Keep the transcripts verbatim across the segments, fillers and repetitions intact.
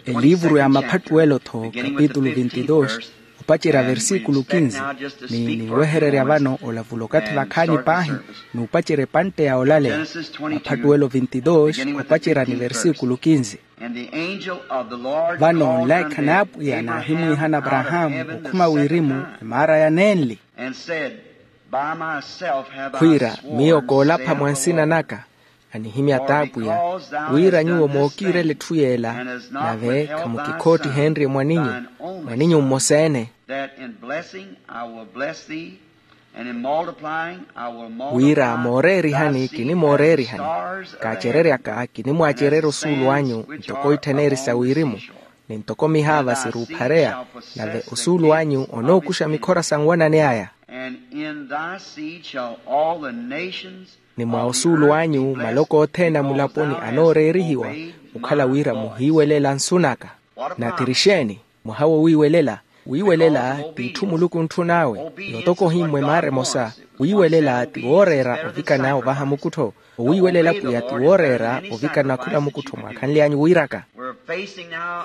Eliivuru ya maphattuwelo-tho kapitulu vintidus, opacerya versikulu kinzi. Ni niwehererya vano olavula okathi vakhaani paahi, n'upacerya epantte ya olaleya. Maphattuwelo vintidus, opacerya ni versikulu kinzi. Vano nlaikha n'apwiya naahimwiihana aparahaamu okhuma wirimu, emaara ya nenli, khwiira, miyo koolapha mwa nsina naka, anihimya t'apwiya, wira nyuwo mookiirela etthu yeela, nave khamukikhoottihenrye mwaninyu, mwaninyu mmosa-ene. Wira mooreerihani kinimooreerihani, kaacereryaka kinimwaacererya osuulu anyu ntoko itthaneeri sa wirimu, ni ntoko mihaava siruuphareya, nave osuulu anyu onookuxa mikhora sa nwanani aya. Ni mwa osuulu anyu maloko othene a mulaponi anooreerihiwa okhala wira muhiiwelela nsu naka. Nathiri xeeni? Mwaha wowiiwelela. Wiiwelela t'itthu muluku ontthun'awe, n'utoko ohimmwa emaara emosa. Wiiwelela ti wooreera ovikana ovaha mukuttho. Owiiwelela pwiya ti wooreera ovikana khula mukuttho mwaakhanly'anyu wiiraka.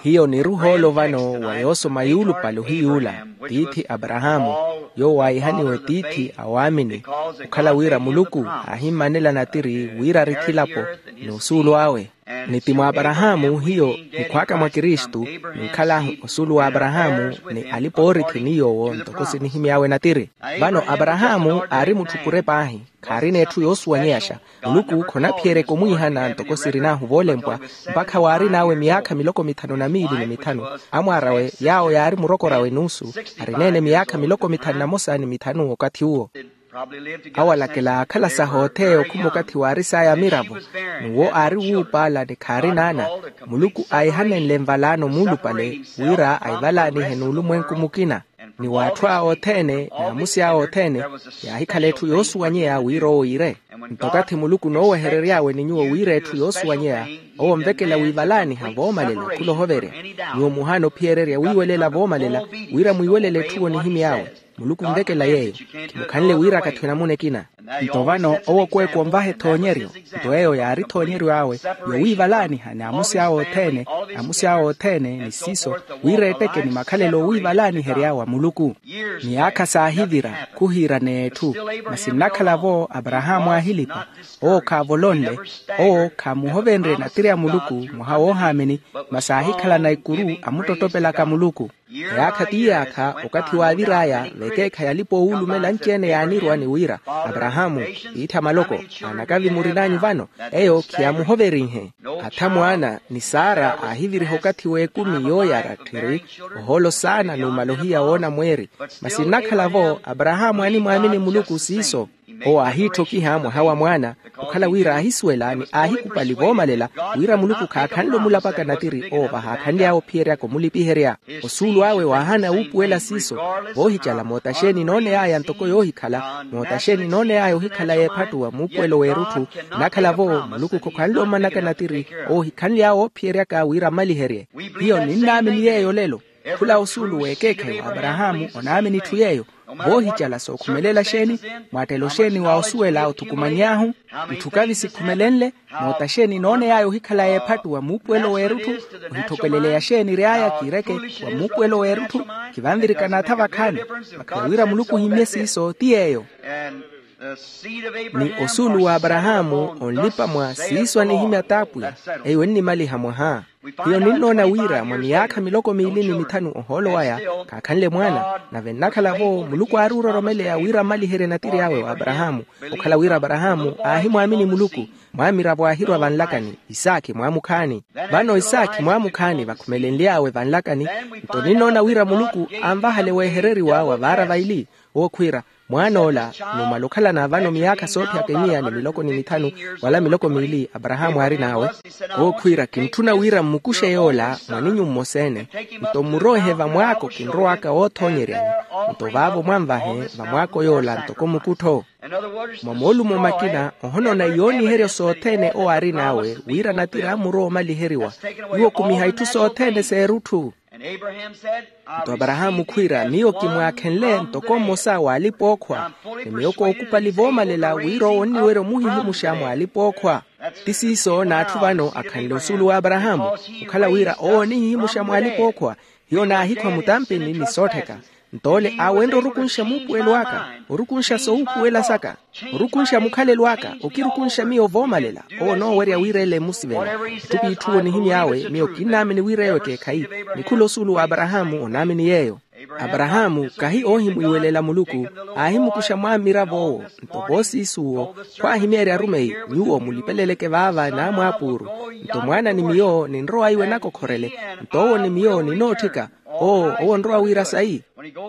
Hiyo niruhoolo vano wa yoosoma yuulupale ohiy'ula, tiithi aparahaamu, yoowo aahihaniwe tiithi a waamini, okhala wira muluku aahimmanela natiri wira ari khilapo n'usuulu awe. Ni ti mwa aparahaamu hiyo nikhwaaka mwa kristu, ninkhal'ahu osuulu w'aparahaamu, ni alipa-oorithi ni yoowo ntoko sinihimy'awe natiri. Vano aparahaamu aari mutthu pure paahi, khaarina etthu yoosuwanyeyaxa. Muluku khonaphiyeryeke omwiihana ntoko sirin'ahu voolempwa, mpakha waarin'awe miyaakha miloko mithanu na miili ni mithanu. Amwaar'awe yaawo yaari murokor'awe nuusu, arineene miyaakha miloko mithanu na mosa ni mithanu okathi uwo. Awalakela aakhala saha otheya okhuma okathi waaris'aya miravo, n'uwo aari wuupaala ni khaarina ana. Muluku aahihanenle nvalaano muulupale, wira aivalaanihe n'ulumwenku mukina. Ni w'atthu awe othene n'amusi awe othene, yaahikhala etthu yoosuwanyeya wira owo iire. Nto okathi muluku nooweherery'awe ni nyuwo wira etthu yoosuwanyeya, owo onvekela wiivalaaniha voomalela khula ohoverya. Nyuwo muhaana ophiyererya wiiwelela voomalela, wira mwiiwelele etthu onihimy'awe. Muluku onvekela yeeyo. Khimukhanle wira akathi namuna ekina. Nto vano owo okweeku onvaha ethoonyeryo. Nto eyo yaari ethoonyeryo awe, yowiivalaaniha ni amusi awe othene, amusi awe othene ni siiso, wira etteke ni makhalelo oowiivalaaniherya wa muluku. Miyaakha saahivira khuhiiraneya etthu, masi nnakhala-vo aparahaamu aahilipa. Owo khaavolonle, owo khaamuhovenrye natiri a muluku mwaha woohaamini, masi aahikhalana ikuru amuttottopelaka muluku. Eyaakha t'iyaakha okathi waavir'aya vekeekhayi alipa-oowulumela anci-ene yaanirwa ni wira, aparahaamu, tiithi a maloko, anakavi murin'anyu vano, eyo khiyaamuhoverinhe. Atha mwaana ni sara aahiviriha okathi w'ekumi yooyara tthiri, ohoolo saana numala ohiya woona mweeri. Masi nnakhala-vo aparahaamu animwaamini muluku siiso. Owo aahiitthokiha mwaha wa mwaana, okhala wira aahisuwela ni aahikupali voomalela, wira muluku khaakhanle omulapaka natiri owo vahaakhanly'awe ophiyeryaka omulipiherya. Osuulu awe waahana wuupuwela siiso, voohicala moota xeeni nooney'aya ntoko yoohikhala, moota xeeni nooney'aya ohikhala y'ephattu wa muupuwelo w'erutthu. Nnakhala-vo muluku khokhanle ommanaka natiri owo ohikhanly'awe oophiyeryaka wira ammaliherye. Hiyo ninnaamini yeeyo olelo. Khula osuulu w'ekeekhayi w'aparahaamu onaamini itthu yeeyo. Voohicala sookhumelela xeeni? Mwaattelo xeeni wa osuwela othukumany'ahu? Itthu kavi sikhumelenle. Moota xeeni nooney'aya ohikhala y'ephattu wa muupuwelo w'erutthu? Ohitthopeleleya xeeni ery'aya kiireke wa muupuwelo w'erutthu? Khivanvirikana atha vakhaani. Vakhala wira muluku ohimmye siiso ti yeeyo. Ni osuulu w'aparahaamu onlipa mwa siiso anihimya t'apwiya, eyo ennimaliha mwaha. Hiyo ninnoona wira mwa miyaakha miloko miili ni mithanu ohoolo waya, khaakhanle mwaana. Nave nnakhala-vo muluku aari ororomeleya wira ammaliherye natiri awe w'aparahaamu. Okhala wira aparahaamu aahimwaamini muluku, mwaamiravo aahirwa vanlakani, isaakhi mwaamukhaani. Vano isaakhi mwaamukhaani vakhumelenly'awe vanlakani. Nto ninnoona wira muluku anvahale weehereriwa wa vaara vaili. Owo khwiira, mwaan'ola numala okhalana vano miyaakha soophiyaka emiya ni miloko ni mithanu, wala miloko miili aparahaamu aarin'awe. Owo khwiira, kintthuna wira mmukuxe yoola mwaninyu mmosa-ene, nto mmuroohe vamwaako kinrow'aka woothoonyeryani. Nto vaavo mwanvahe vamwaako yoola ntoko mukuttho. Mwa moolumo makina ohonoona iyooniheryo sothene owo aarin'awe wira natiri ammurowa omaliheriwa. Iwo okumiha itthu sothene s'erutthu. Nto aparahaamu khwiira, miyo kimwaakhenle ntoko mmosa w'alipa-ookhwa, ni miyo kookupali voomalela wira owo onniwerya omuhihimuxa mw'alipa-ookhwa. Ti siiso n'atthu vano akhanle osuulu w'aparahaamu, okhala wira owo onihihimuxa mw'alipa-ookhwa. Hiyo naahikhwa mutampini ni soottheka. Nto ole aawenrye orukunxa muupuwelo aka, orukunxa sowuupuwela saka, orukunxa mukhalelo aka, okirukunxa miyo voomalela. Owo onoowerya wira ele emusivela. Etthu p'itthu onihimy'awe miyo kinnaamini wira eyo ekeekhayi, ni khula osuulu w'aparahaamu onaamini yeeyo. Aparahaamu kahi oohimwiiwelela muluku, aahimukuxa mwaamiravo owo. Nto voosiisuwo, khwaahimyeerya arumeyi, nyuwo mulipeleleke vaava naamwaapuuru. Nto mwaana ni miyo ninrowa iwe nakokhorele. Nto owo ni miyo ninootthika. Oo owo onrowa wira sayi.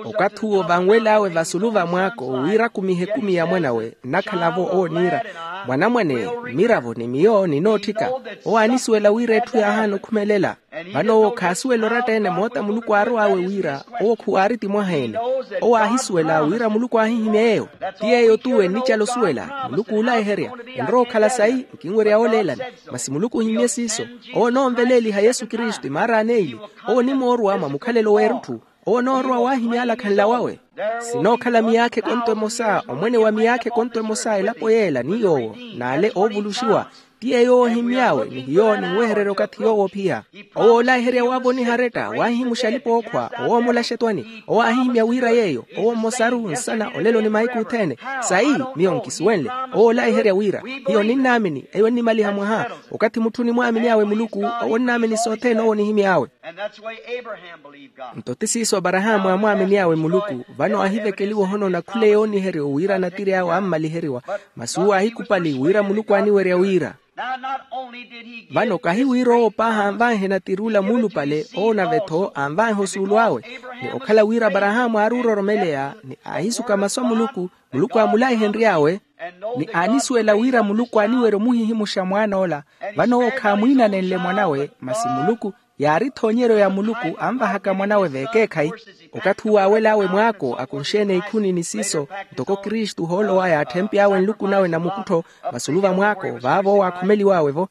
Okathi uwo vanwel'awe vasulu va mwaako wira akumihe ekumi ya mwan'awe nnakhala-vo owo oniira, mwanamwane, mmiravo ni miyo ninootthika. Owo aanisuwela wira etthu yaahaana okhumelela. Vano owo khaasuwela oratta-ene moota muluku aarow'awe wira owo khuwaari ti mwaha-ene. Owo aahisuwela wira muluku aahihimya yeeyo. Ti yeeyo-tu ennicala osuwela muluku oolayiherya. Enrowa okhala sayi, nkinwerya wooleelani. Masi muluku ohimye siiso. Owo onoonveleeliha yesu kristu imaara aneili. Owo onimoorwa mwa mukhalelo w'erutthu. Owo onoorowa waahimya alakhanla wawe. Sinookhala miyaakha ekonto emosa omwene wa miyaakha ekonto emosa elapo yeela ni yoowo, n'ale oovuluxiwa. Ti yeeyo owo ohimy'awe ni hiyo ninwehererya okathi yoowo ophiya. Owo oolayiherya waavoniha aretta waahihimuxa alipa-ookhwa owo omulaxa etwani owo aahihimya wira yeeyo owo mmosaru nsana olelo ni mahiku othene. Sayi, miyo nkisuwenle. Owo oolayiherya wira hiyo ninnaamini eyo ennimaliha mwaha. Okathi mutthu onimwaamin'awe muluku owo onnaamini sothene owo onihimy'awe. Nto ti siiso aparahaamu aamwaamin'awe muluku. Vano aahivekeliwa ohonoona khula eyooniheryo wira anatir'awe ammaliheriwa. Masi uwo aahikupali wira muluku aaniwerya wira. Vano kahi wira owo paahi anvanhe natir'ula muulupale owo nave-tho anvanhe osuulu awe. Ni okhala wira aparahaamu aari ororomeleya ni aahisuka masu a muluku, muluku aamulayihenry'awe, ni aanisuwela wira muluku aaniwerya omuhihimuxa mwaan'ola. Vano owo khaamwiinanenle mwan'awe masi muluku, yaari ethoonyeryo ya muluku anvahaka mwan'awe v'ekeekhayi. Okathi uwo aawel'awe mwaako akunxe-ene ikhuni ni siiso, ntoko kristu ohoolo waya atthempy'awe nluku nawe na mukuttho, vasulu va mwaako vaavo owo aakhomeliw'awe-vo.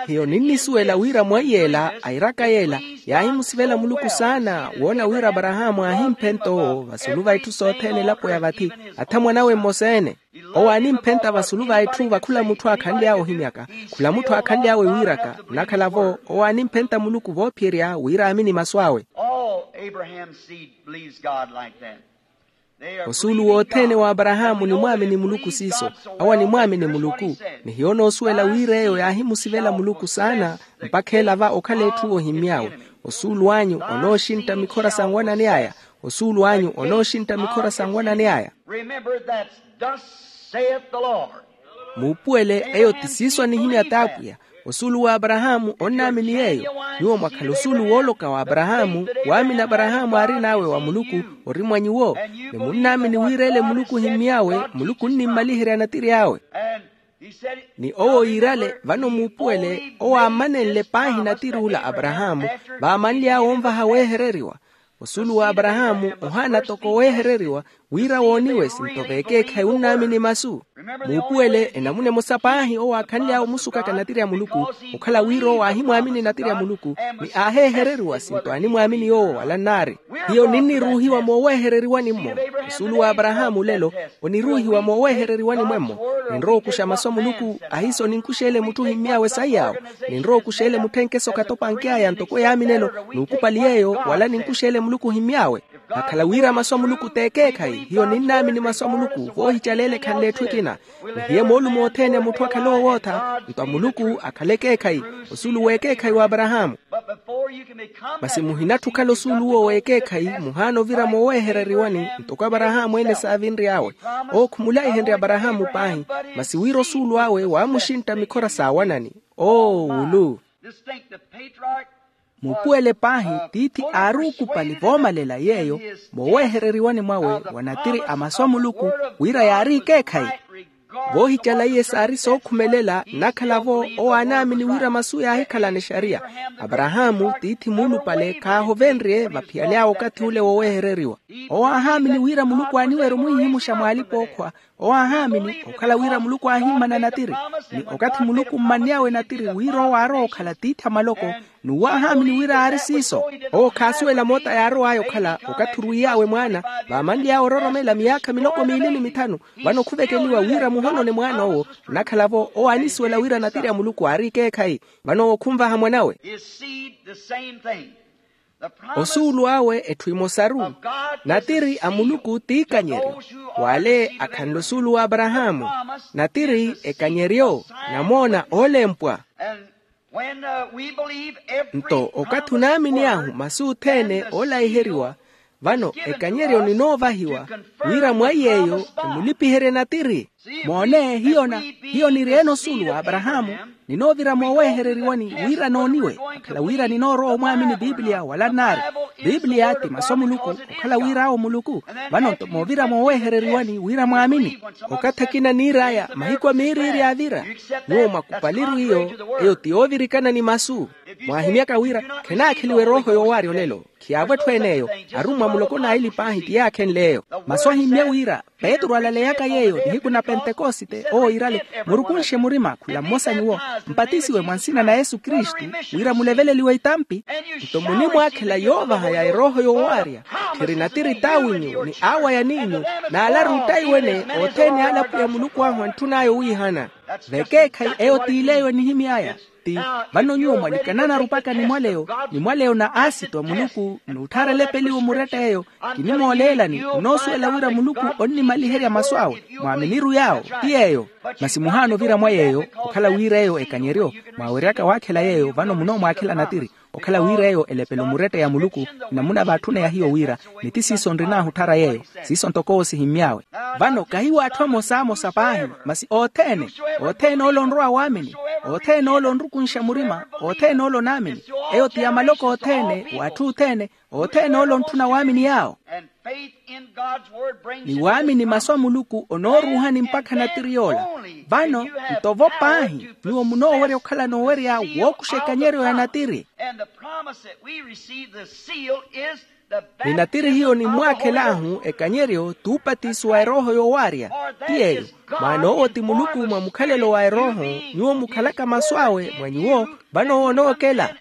Hiyo ninnisuwela wira mwaiy'ela airaka yeela yaahimusivela muluku saana woona wira aparahaamu aahimphenta owo vasulu va itthu sothene elapo ya vathi, atha mwan'awe mmosa-ene. Owo aanimphenta vasulu va itthu va khula mutthu aakhanly'awe ohimyaka, khula mutthu aakhanly'awe wiiraka. Nnakhala-vo owo aanimphenta muluku voophiyerya wira aamini masu awe. All Abraham's seed believes God like that. Osuulu wothene wa aparahaamu onimwaamini muluku siiso. Awo animwaamini muluku. Ni hiyo onoosuwela wira eyo yaahimusivela muluku saana, mpakha ela va okhala etthu ohimmy'awe. Osuulu anyu onooxintta mikhora sa nwanani aya. Osuulu anyu onooxintta mikhora sa nwanani aya. Remember that thus saith the Lord. Muupuwele eyo ti siiso anihimya t'apwiya. Osuulu wa aparahaamu onnaamini yeeyo. Nyuwo mwakhala osuulu wooloka wa aparahaamu, waamini aparahaamu aarin'awe wa muluku ori mwa nyuwo. Ni munnaamini wira ele muluku ohimmy'awe muluku onnimmaliherya natiri awe. Ni owo yiirale vano muupuwele owo aamanenle paahi natiri ula aparahaamu, vaamanly'awe onvaha weehereriwa. Osuulu wa aparahaamu ohaana toko weehereriwa, wira wooniwe sinto v'ekeekhayi onnaamini masu. Muupuwele enamuna emosa paahi owo aakhanly'awe omusukaka natiri a muluku, okhala wira owo aahimwaamini natiri a muluku, ni aaheehereriwa sinto aanimwaamini yoowo wala nnaari. Hiyo ninniruuhiwa mooweehereriwani-mo. Osuulu wa aparahaamu olelo oniruuhiwa mooweehereriwani mwemmo. Ninrowa okuxa masu a muluku, ahiiso ninkux'ele mutthu ohimmy'awe saiy'awe. Ninrowa okux'ele mutthenke sokatopanky'aya ntoko yaaminelo, n'ukupali yeeyo wala ninkux'ele muluku ohimmy'awe. Akhala wira masu a muluku t'ekeekhayi hiyo ninnaamini masu a muluku voohicaleela ekhanle etthu ekina. Nihiye moolumo othene a mutthu akhale owootha nto a muluku akhale ekeekhayi. Osuulu w'ekeekhayi w'aparahaamu. Masi muhinatthi okhala osuulu uwo w'ekeekhayi muhaana ovira mooweehereriwani ntoko aparahaamu ene saavinry'awe. Owo khumulayihenrye aparahaamu paahi, masi wira osuulu awe waamuxintta mikhora sa awanani. Oo wulu. Muupuwele paahi tiithi aari ookupali voomalela yeeyo mooweehereriwani mwawe wa natiri a masu a muluku, wira yaari ekeekhayi. Voohicala iye saari sookhumelela nnakhala-vo owo aanaamini wira masu yaahikhalana exariya. Aparahaamu tiithi muulupale khaahovenrye vaphiyaly'awe okathi ule wowehereriwa. Owo aahaamini wira muluku aaniwerya omuhihimuxa mwaalipa-ookhwa. Owo aahaamini okhala wira muluku aahimmana natiri, ni okathi muluku mmanny'awe natiri wira owo aarowa okhala tiithi a maloko, n'uwo aahaamini wira aari siiso. Owo khaasuwela moota yaarow'aya okhala okathi orwiiy'awe mwaana, vaamanly'awe ororomela miyaakha miloko miili ni mithanu. Vano khuvekeliwa wira muhonone mwaana owo. Nnakhala-vo owo aanisuwela wira natiri a muluku aari ekeekhayi. Vano owo khunvaha mwan'awe. His seed, the same thing. Osuulu awe etthu emosaru. Natiri a muluku t'ikanyeryo. W'ale akhanle osuulu w'aparahaamu. Natiri ekanyeryo, namoona oolempwa. Nto okathi onaamini ahu masu othene oolaiheriwa. Vano ekanyeryo ninoovahiwa wira mwa iy'eyo emulipiherye natiri. Moone hiyo na hiyo niri-ene osuulu w'aparahaamu. Ninoovira moowehereriwani wira nooniwe akhala wira ninoorowa omwaamini pipiliya wala nnaari. Pipiliya ti masu a muluku okhala wira awo muluku. Vano nto moovira moowehereriwani wira mwaamini. Okathi akina niir'aya mahiku a miiriiri yaavira. Nyuwo mwakupaliru iyo. Eyo ti yoovirikana ni masu. Mwaahimyaka wira khenaakheliwa erooho yoowaarya olelo. Khiyaavo etthu en'eyo. Arummwa muloko n'aili paahi ti yaakhenle eyo. Masu ahimmye wira petru alaleyaka yeeyo nihiku na pentekosite owo iirale, murukunxe murima khula mmosa nyuwo mpatisiwe mwa nsina na yesu kristu wira muleveleliwe itampi. Nto munimwaakhela yoovaha ya erooho yoowaarya. Khiri natiri t'awinyu ni aawaya n'inyu n'alaru ottaiwene othene ale apwiya muluku ahu antthun'aya owiihana. Vekeekhayi eyo t'ile eyo enihimy'aya. Ti vano nyuwo mwalikananaru mpakha nimwaleyo nimwaleyo na aasitwa muluku n'utthaara elepeliwo muretta eyo. Kinimooleelani onoosuwela wira muluku onnimaliherya masu awe mwaaminiru yaawo. Ti yeeyo. Masi muhaana ovira mwa yeeyo okhala wira eyo ekanyeryo mwaaweryaka waakhela yeeyo vano munoomwaakhela natiri. Okhala wira eyo elepelo muretta ya muluku. Namuna vaatthuna ya hiyo wira ni ti siiso nrinaahu otthara yeeyo. Siiso ntoko owo sihimmy'awe. Vano kahiwo atthu amosamosa paahi masi othene. Othene ole onrowa waamini. Othene ole onrukunxa murima. Othene ole onaamini. Eyo ti ya maloko othene w'atthu othene. Othene ole ontthuna waamini yaawo. Ni waamini masu a muluku onooruuhani mpakha natiri yoola. Vano nto vo paahi nyuwo munoowerya okhalana owerya wookuxa ekanyeryo ya natiri. Ni natiri hiyo nimmwaakhel'ahu ekanyeryo t'upatiso wa erooho yoowaarya. Ti yeeyo. Mwaana owo ti muluku mwa mukhalelo wa erooho. Nyuwo mukhalaka masu awe mwa nyuwo. Vano owo onookela.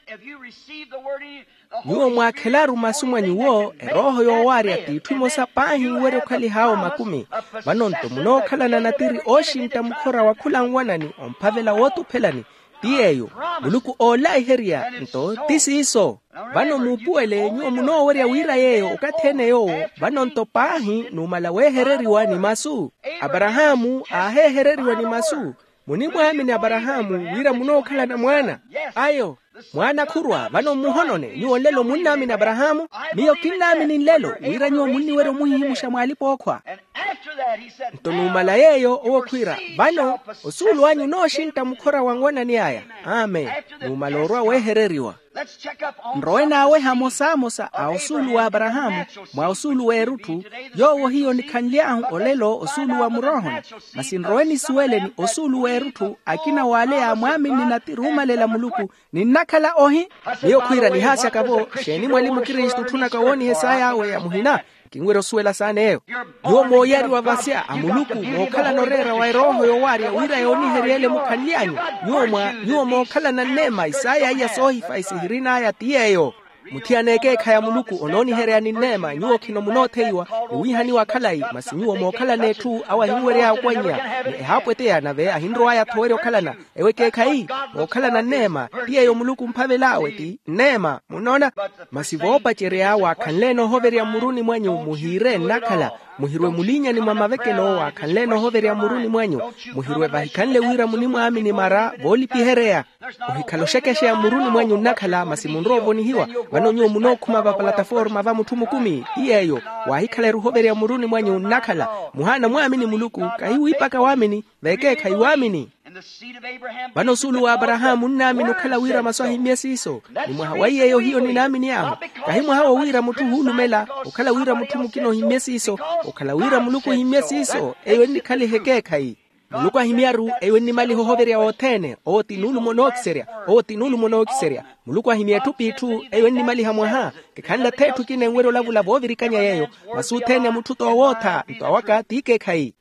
Nyuwo mwaakhelaru masu mwa nyuwo erooho yoowaarya t'itthu imosa paahi iwerya okhalih'awe makumi. Vano nto munookhalana natiri ooxintta mukhora wa khula nwanani omphavela wootuphelani. Ti yeeyo. Muluku oolaiherya nto ti siiso. Vano muupuwele nyuwo munoowerya wira yeeyo okathi ene yoowo. Vano nto paahi numala weehereriwa ni masu. Aparahaamu aaheehereriwa ni masu. Munimwaamini aparahaamu wira munookhalana mwaana? Ayo. Mwaana khurwa vano mmuhonone nyuwo nlelo munnaamini aparahaamu. Miyo kinnaamini nlelo wira nyuwo munniwerya omuhihimuxa mwaalipa ookhwa. Nto numala yeeyo owo khwiira vano osuulu anyu onooxintta mukhora wa nwanani aya. Amen. Numala orwa weehereriwa. Nrowe naaweha amosamosa a osuulu w'aparahaamu mwa osuulu w'erutthu. Yoowo hiyo nikhanly'ahu olelo osuulu wa muroohoni. Masi nrowe nisuwele ni osuulu w'erutthu akina w'ale yaamwaamini natiri oomalela muluku. Ninnakhala ohi. Miyo khwiira nihaasyaka-vo. Xeeni mwalimu kristu otthunaka wooniha esaa yaawe ya muhina? Kinwerya osuwela saana eyo. Nyuwo mooyariwa vasya a muluku mookhalana oreera wa erooho yoowaarya wira yoonihery'ele mukhanly'anyu. Nyuwo mwa nyuwo mookhalana nneema isaaya iya soohifa isihirin'aya ti yeeyo. Muthiyana ekeekhayi a muluku onooniheryani nneema nyuwo khino munootheiwa. Niwiihaniwa khalayi masi nyuwo mookhalana etthu awo ahinwery'aya okwannya ni ehaapweteya nave ahinrow'aya-tho werya okhalana. Ewo ekeekhayi mookhalana nneema ti yeeyo muluku omphavel'awe ti nneema munnoona. Masi voopacerya waakhanle-ene ohoverya mmuruni mwanyu muhiire nnakhala. Muhirwe mulinyani mwa mavekelo waakhanle-ene ohoverya mmuruni mwanyu. Muhirwe vahikhanle wira munimwaamini mara voolipihereya. Ohikhala oxekexeya mmuruni mwanyu nnakhala masi munrowa ovonihiwa. Vano nyuwo munookhuma vapalataforma va mutthu mukumi ti yeeyo. Waahikhala eruhoverya mmuruni mwanyu nnakhala. Muhaana mwaamini muluku kahi wiipaka waamini. Vekeekhayi waamini. Vano osuulu w'aparahaamu onnaamini okhala wira masu ahimmye siiso. Ni mwaha wa iy'eyo hiyo ninaamini ahu. Kahi mwaha wo wira mutthu ohuulumela okhala wira mutthu mukina ohimmye siiso. Okhala wira muluku ohimmye siiso eyo ennikhaliha ekeekhayi. Muluku ahimya-ru eyo ennimaliha ohoverya wothene. Owo ti nuulumo nookiserya. Owo ti nuulumo nookiserya. Muluku ahimya etthu p'itthu eyo ennimaliha mwaha. Kikhanle ath'etthu ekina enwerya olavula voovirikanya yeeyo. Masu othene a mutthu t'owootha nto awaka t'ikeekhayi.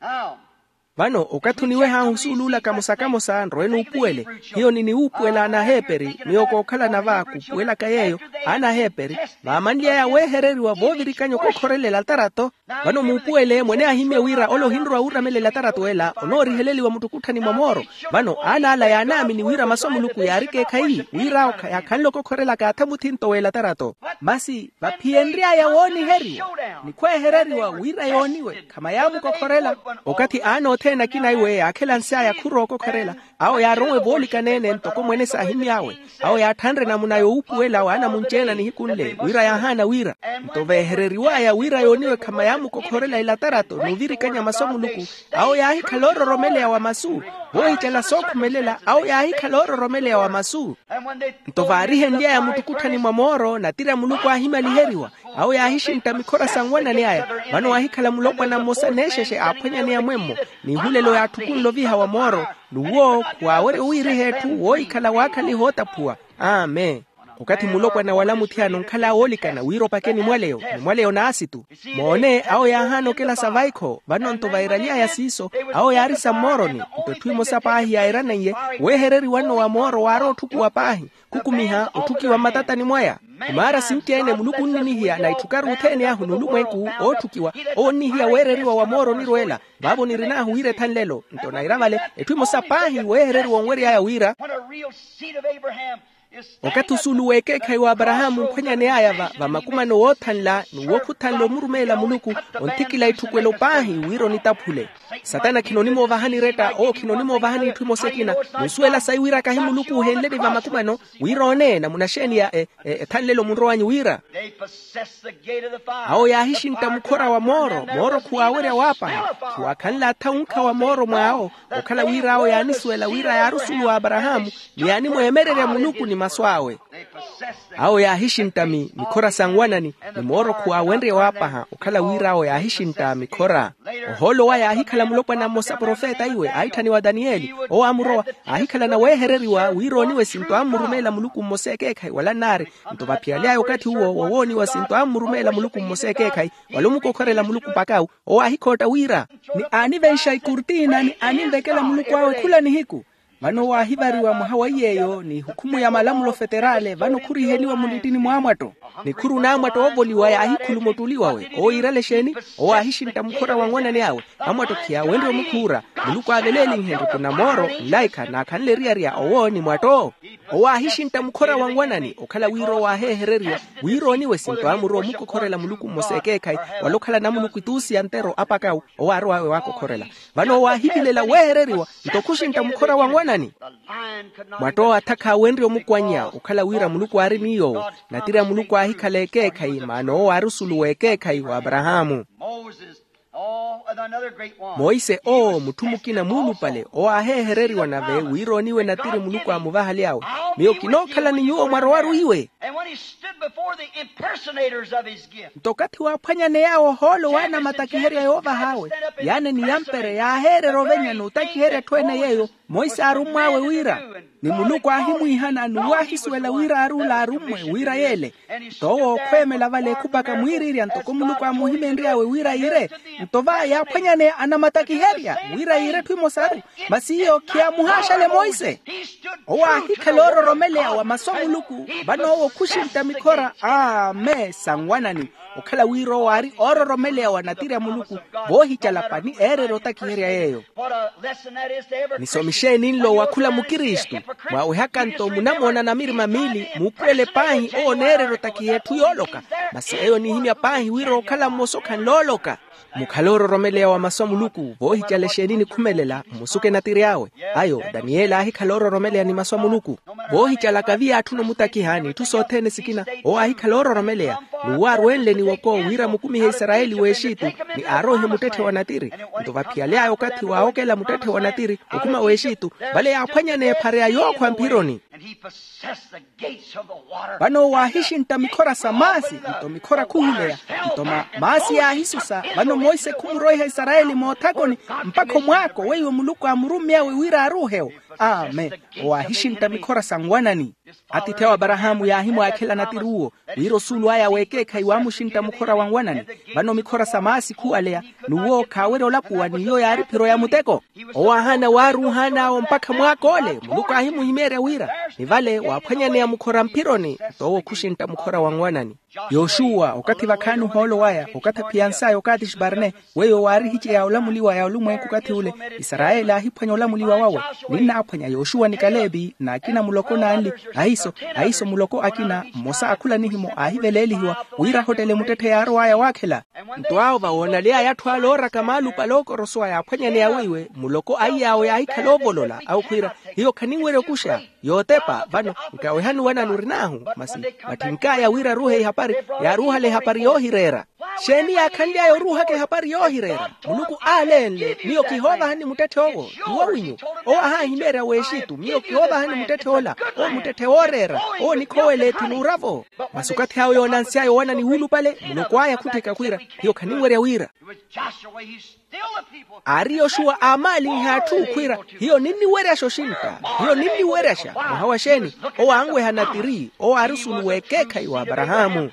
Vano okathi oniweh'ahu osuuluula kamosa-kamosa nrowe nuupuwele. Hiyo niniwuupuwela anaheeperi miyo kookhalana va kuupuwelaka yeeyo. Anaheeperi vaamanly'aya weehereriwa voovirikanya okokhorela elatarato. Vano muupuwele mwene ahimmye wira ole ohinrowa wuuramelela elatarato ela onooriheleliwa muttukutthani mwa mooro. Vano aana ala yaanaamini wira masu a muluku yaari ekeekhayi wir'awo khayaakhanle okokhorela kaatha muthinto w'elatarato. Masi vaphiyenry'aya wooniheriwa ni khweehereriwa wira yooniwe khamayamukokhorela. Okathi aana othene akina iwe yaakhelansy'aya khurookokhorela, awo yaaronwe voolikana-ene ntoko mwene saahimmy'awe. Awo yaatthanre namuna yoowuupuwela waanamunci-ene a nihiku nle wira yaahaana wira. Nto veehereriw'aya wira yooniwe khamayamukokhorela elatarato n'uvirikanya masu a muluku, awo yaahikhala oororomeleya wa masu. Voohicela sookhumelela awo yaahikhala oororomeleya wa masu. Nto vaarihenly'aya muttukutthani mwa mooro natiri a muluku aahimaliheriwa. Awo yaahixintta mikhora sa nwanani aya. Vano waahikhala mulopwana mmosa neexexe aaphwanyaneya mwemmo. N'ihulelo yaatthukunle oviha wa mooro n'uwo khuwaawerya owiiriha etthu woohikhala waakhaliha ootaphuwa. Amen. Okathi mulopwana wala muthiyana onkhala woolikana wira opake nimwaleyo, nimwaleyo n'asitu. Moone awo yaahaana okela sa vaikho vano nto vairaly'aya siiso. Awo yaari sa mmooroni. Nto etthu emosa paahi yaairaniye weehereriwa nno wa mooro waari otthukuwa paahi. Khukumiha otthukiwa mmatatani mwaya. Khumaara sinci-ene muluku onninihiya na itthukaru othene ahu n'ulumwenku ootthukiwa. Owo onnihiya weereriwa wa mooro onirweela. Vaavo nirin'ahu wira ethanlelo nto naira vale etthu emosa paahi weehereriwa onwery'aya wira. Okathi osuulu w'ekeekhayi w'aparahaamu onkhwanyaney'aya va makumano woothanla n'uwo khuthanle omurumeela muluku, onthikila itthukwelo paahi wira onitaphule. Satana khinonimoovahani eretta owo khinonimoovahani itthu emosa ekina. Munsuwela sayi wira kahi muluku oohenleni va makumano wira oone namuna xeeni ya ethanlelo munrow'anyu wira. Awo yaahixintta mukhora wa mooro mooro khuwaawerya waapaha. Khiwaakhanle atha onkha wa mooro mw'awo. Okhala wira awo yaanisuwela wira yaari osuulu w'aparahaamu ni yaanimweemererya muluku ni masu awe. Awo yaahixintta mikhora sa nwanani ni mooro khuwaawenrye waapaha okhala wira awo yaahixintta mikhora. Ohoolo owa yaahikhala mulopwana mmosa profeta iwe aitthaniwa daniyeli owo aamurowa. Aahikhalana weehereriwa wira ooniwe sinto ammurumeela muluku mmosa ekeekhayi wala nnaari. Nto vaphiyaly'aya okathi uwo wowooniwa sinto ammurumeela muluku mmosa ekeekhayi wala omukokhorela muluku mpak'awu. Owo aahikhootta wira ni aanivenxa ikurtina ni aaninvekela muluku awe khula nihiku. Vano owo aahivariwa mwaha wa iy'eyo ni hukhumu ya malamulo feterale vano khuriheliwa mulittini mw'amwatto. Ni khuri onaamwatto oovoliwa yaahikhuluma ottuli wawe owo yiirale exeeni? Owo aahixintta mukhora wa nwanani awe. Amwatto khiyaawenrye omukhuura. Muluku aaveleelinhe nruku na mooro nlaikha naakhanle eriyari ya owo ni mwatto. Owo aahixintta mukhora wa nwanani okhala wira owo aaheehereriwa wira ooniwe sinto amurowa omukokhorela muluku mmosa ekeekhayi wala okhala namuluku ituusi ya ntero apakawu. Owo aarowa awe waakokhorela. Vano owo aahivilela weehereriwa nto khuxintta mukhora wa nwanani. Mwattowa atha khaawenrye omukwannya okhala wira muluku aari ni yoowo. Natiri a muluku aahikhala ekeekhayi maana owo aari osulu w'ekeekhayi w'aparahaamu. Monse owo mutthu mukina muulupale owo aaheehereriwa nave wira ooniwe natiri muluku aamuvahale awe. Miyo kinookhala ni nyuwo mwarowaru iwe. Nto okathi waaphwanyaney'awe ohoolo w'anamatakiherya yoovah'awe yaane ni yampere yaaheererya ovenya n'otakiherya etthu ene yeeyo. Monse aarummw'awe wira ni muluku aahimwiihana n'uwo aahisuwela wira aari ola arummwe wira yeele. Nto owo ookhweemela vale ekhupaka mwiiriirya ntoko muluku aamuhimenry'awe wira yiire. Nto va yaaphwanyaneya anamatakiherya wira yiire etthu emosaru. Masi iyo khiyaamuhaaxale monse. Owo aahikhala oororomeleya wa masu a muluku. Vano owo khuxintta mikhora amen sa nwanani okhala wira owo aari oororomeleya wa natiri a muluku. Voohicala pani eererya otakiherya yeeyo. Nisomi xeeni nlo wa khula mukristu? Mwaawehaka nto munamoona namirima miili muupuwele paahi owo oneererya otakiha etthu yooloka. Masi eyo onihimya paahi wira okhala mmosa okhanle ooloka. Mukhale oororomeleya wa masu a muluku voohicala exeeni nikhumelela mmusuke natiri awe. Ayo daniyeli aahikhala oororomeleya ni masu a muluku. Voohicalaka viyaatthuna omutakiha n'itthu sothene sikina owo aahikhala oororomeleya. N'uwo arwenle ni woko wira amukumihe isarayeli w'exitu ni aaroihe muttetthe wa natiri. Nto vaphiyaly'aya okathi waawokela muttetthe wa natiri okhuma w'exitu vale yaaphwanyaneya ephareya yookhwa mphironi. Vano owo aahixintta mikhora sa maasi nto mikhora khuhimeya. Nto maasi yaahisusa. Vano monse khumuroiha isarayeli moothakoni, mpakha omwaako weiwo muluku aamurummy'awe wira aaruuhe-wo. Amen. Owo aahixintta mikhora sa nwanani. Atiithi awo aparahaamu yaahimwaakhela natiri uwo, wira osuulu aya w'ekeekhayi waamuxintta mukhora wa nwanani. Vano mikhora sa maasi khuwaleya, n'uwo khaawerya olapuwa n'iyo yaari phiro ya muteko. Owo aahaana waaruuhaan'awo mpakha mwaak'ole muluku aahimuhimeerya wira, ni vale waaphwanyaneya mukhora mphironi. Nto owo khuxintta mukhora wa nwanani. Yoxuwa okathi vakhaani ohoolo waya okathi aphiyansaya okaatixi parne, weiwo waarihiceya olamuliwa ya olumwenku okathi ule. Isarayeli aahiphwanya olamuliwa wawe. Ninnaaphwanya yoxuwa ni kalevi n'akina muloko n'anli, ahiso ahiso muloko akina mmosa a khula nihimo aahiveleelihiwa, wira ahottele muttetthe yaarow'aya waakhela. Nto awo vawoonaly'aya atthu ale ooraka maalupale ookorosowa yaaphwanyaneya weiwe muloko aiy'awo yaahikhala oovolola awo khwiira, hiyo khaninwerya okuxa yootepa vano. Nkawehani wanani orin'ahu, masi vatthink'aya wira aruuhe ihapari, yaaruuhale ehapari yoohireera. Xeeni yaakhanly'aya oruuhaka ehapari yoohireera? Muluku aalenle miyo kihoovahani muttetthe owo. Tiwo winyu. Owo ahahimeerya w'exitu miyo kihoovahani muttetthe ola. Owo muttetthe wooreera. Owo nikhowela ethi n'ura-vo. Masi okathi awo yoonansy'aya owanani wuulupale muloko aya khuttheka khwiira, hiyo khaninwerya wira. Aari yoxuwa aamaalinhe atthu khwiira, hiyo ninniweryaxa oxintta. Hiyo ninniweryaxa mwaha wa xeeni? Owo anweha natiri owo aari osuulu w'ekeekhayi w'aparahaamu.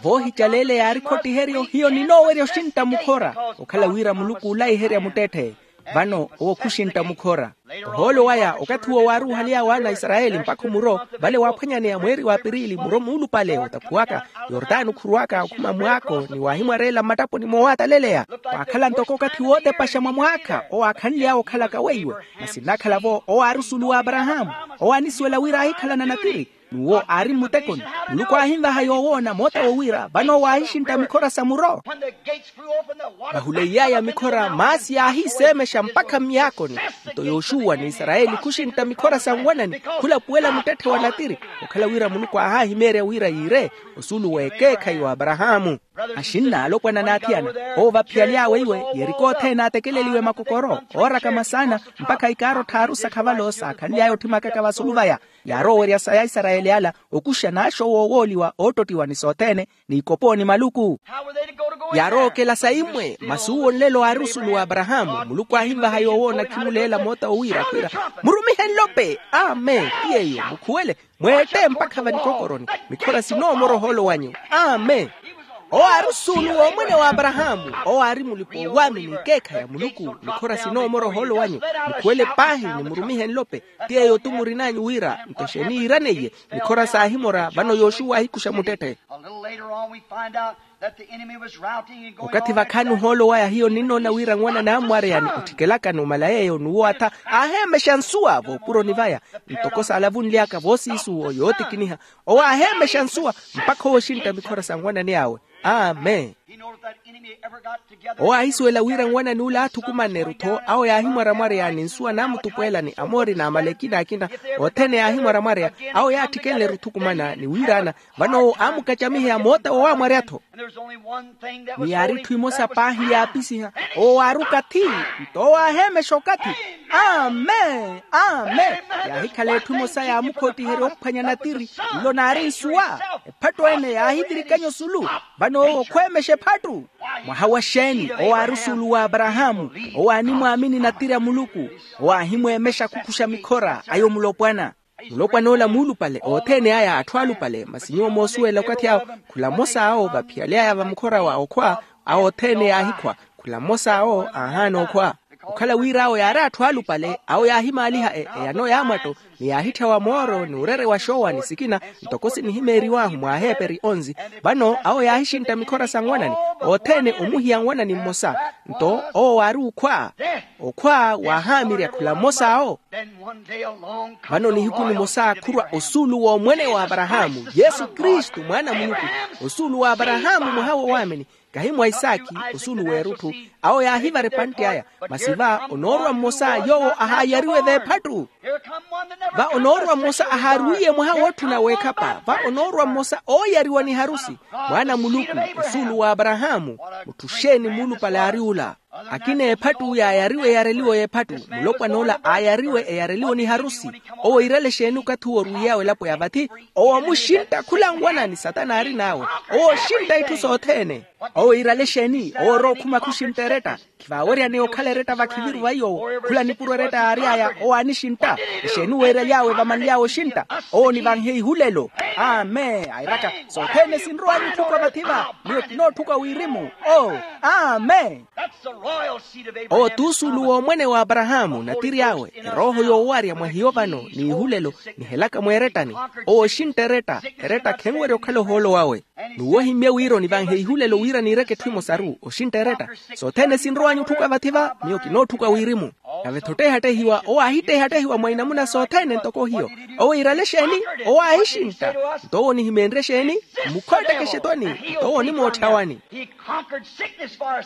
Voohicaleeleya aari khottiheryo hiyo ninoowerya oxintta mukhora. Okhala wira muluku oolaiherya muttetthe. Vano owo khuxintta mukhora. Ohoolo waya okathi uwo waaruuhaly'awe ana a isarayeli mpakha omuro, vale waaphwanyaneya mweeri wa apirili muro muulupale otaphuwaka yortano khuruwaka okhuma mwaako ni waahimwareela mmattaponi moowataleleya. Waakhala ntoko okathi wootepaxa mwa mwaakha owo aakhanly'awe okhalaka weiwe. Masi nnaakhala-vo owo aari osuulu w'aparahaamu. Owo aanisuwela wira aahikhalana natiri. N'uwo aari mmutekoni. Muluku aahinvaha yoowoona mootawo wira vano owo aahixintta mikhora sa muro. Vahuleiy'aya mikhora maasi yaahiiseemexa mpakha myaakoni. Nto yoxuwa ni isarayeli khuxintta mikhora sa nwanani khulapuwela muttetthe wa natiri. Okhala wira muluku aahaahimeerya wira yiire osuulu w'ekeekhayi w'aparahaamu. Axinna alopwana n'athiyana, owo vaphiyaly'awe iwe yeriko othene aatekeleliwe makokoro ooraka masaana mpakha ikaaro tthaaru sakhavalo saakhanly'aya otthimakaka vasulu vaya. Yaarowa owerya sa ya isarayeli ala okuxa n'axo woowooliwa oottottiwa ni sothene n'ikopo ni maluku. Yaarowa okela sa imwe masi uwo nlelo aari osuulu w'aparahaamu muluku aahinvaha yoowoona khimuleela moota owiira khwiira, murumihe nlope. Amen. Ti yeeyo mukhuwele mweette mpakha vanikokoroni. Mikhora sinoomora ohoolo wanyu. Amen. Owo aari osuulu w'omwene w'aparahaamu. Owo aari mulipa owaamini ekeekha ya muluku. Mikhora sinoomora ohoolo wanyu. Mukhuwele paahi ni murumihe nlope. Ti yeeyo-tu murin'anyu wira nto xeeni yiiraneiye. Mikhora saahimora vano yoxuwa aahikuxa muttetthe. Okathi vakhaani ohoolo waya hiyo ninnoona wira nwanani ammwareyani otthikelakani omala yeeyo n'uwo atha aaheemexa nsuwa voopuroni vaya. Ntoko saalavunly'aka voosiisuwo yootikiniha owo aaheemexa nsuwa mpakha owo exintta mikhora sa nwanani awe. Amen. Owo aahisuwela wira nwanani ule aathukumanneru-tho awo yaahimwaramwareyani nsuwa naamutupweelani amoori n'amaleki n'akina othene yaahimwaramwareya. Awo yaattikenleru othukumana ni wiiraana vano owo aamukacamiheya moota wowaamwarya-tho. Ni yaari etthu emosa paahi yaapisiha owo waaruka thi. Nto owo aaheemexa okathi. Amen. Amen. Yaahikhala etthu emosa yaamukhottiherya ophwanya natiri nlo naari nsuwa. Ephattu ene yaahivirikanya osulu. Vano owo khweemexa ephattu. Mwaha wa xeeni owo aari osuulu w'aparahaamu. Owo aanimwaamini natiri a muluku. Owo aahimweemexa khukuxa mikhora ayo mulopwana. Mulopwan'ola muulupale othene aya atthu alupale masi nyuwo moosuwela okathi awo. Khula mmosa awo vaphiyaly'aya va mukhora wa okhwa awo othene yaahikhwa. Khula mmosa awo aahaana okhwa. Okhala wira awo yaari atthu alupale awo yaahimaaliha eyano ya mwatto ni yaahitthyawa mooro ni urere wa xoowa ni sikina. Ntoko sinihimeeriw'ahu mw'aheeperi onzi. Vano awo yaahixintta mikhora sa nwanani othene omuhiya nwanani mmosa. Nto owo waari okhwa. Okhwa waahaamirya khula mmosa awo. Vano nihiku nimosa khurwa osuulu w'omwene w'aparahaamu yesu kristu mwaana a muluku. Osuulu w'aparahaamu mwaha w'owaamini kahi mwa isaakhi. Osuulu w'erutthu awo yaahivara epantte aya. Masi va onoorwa mmosa yoowo ahaayariwe v'ephattu. Va onoorwa mmosa ahaarwiiye mwaha wootthuna w'ekhapa va onoorwa mmosa ooyariwa ni harusi. Mwaana a muluku osuulu w'aparahaamu. Mutthu xeeni muulupale aari ula. Akina ephattu yaayariwe eyareliwo y'ephattu. Mulopwan'ola aayariwe eyareliwo ni harusi. Owo iirale exeeni okathi owo orwiiy'awe elapo ya vathi? Owo omuxintta khula nwana ni satana aarin'awe. Owo oxintta itthu sothene. Owo iirale exeeni? Owo orowa okhuma khuxintta eretta. Khivaaweryaneya okhala eretta vakhiviru vaiy'owo. Khula nipuro eretta yaary'aya owo aanixintta. Exeeni weeraly'awe vamanly'awe oxintta? Owo onivanhe ihulelo. Amen. Airaka sothene sinrow'anyu otthuka vathi-va. Miyo kinootthuka wirimu. Oo. Amen. Owo t'usuulu w'omwene w'aparahaamu natiri awe. Erooho yoowarya mwa hiyo vano n'ihulelo nihelaka mweerettani. Owo oxintta eretta. Eretta khenwerya okhala ohoolo wawe. N'uwo ohimmye wira onivanhe ihulelo wira niireke etthu emosaru oxintta eretta. Sothene sinrow'anyu otthuka vathi-va. Miyo kinootthuka wirimu. Nave-tho otteehattehiwa owo aahitteehattehiwa mwa inamuna sothene ntoko hiyo. Owo iirale exeeni? Owo aahixintta. Nto owo onihimeenrye exeeni? Mmukhootteke exetwani. Nto owo onimootthya wani?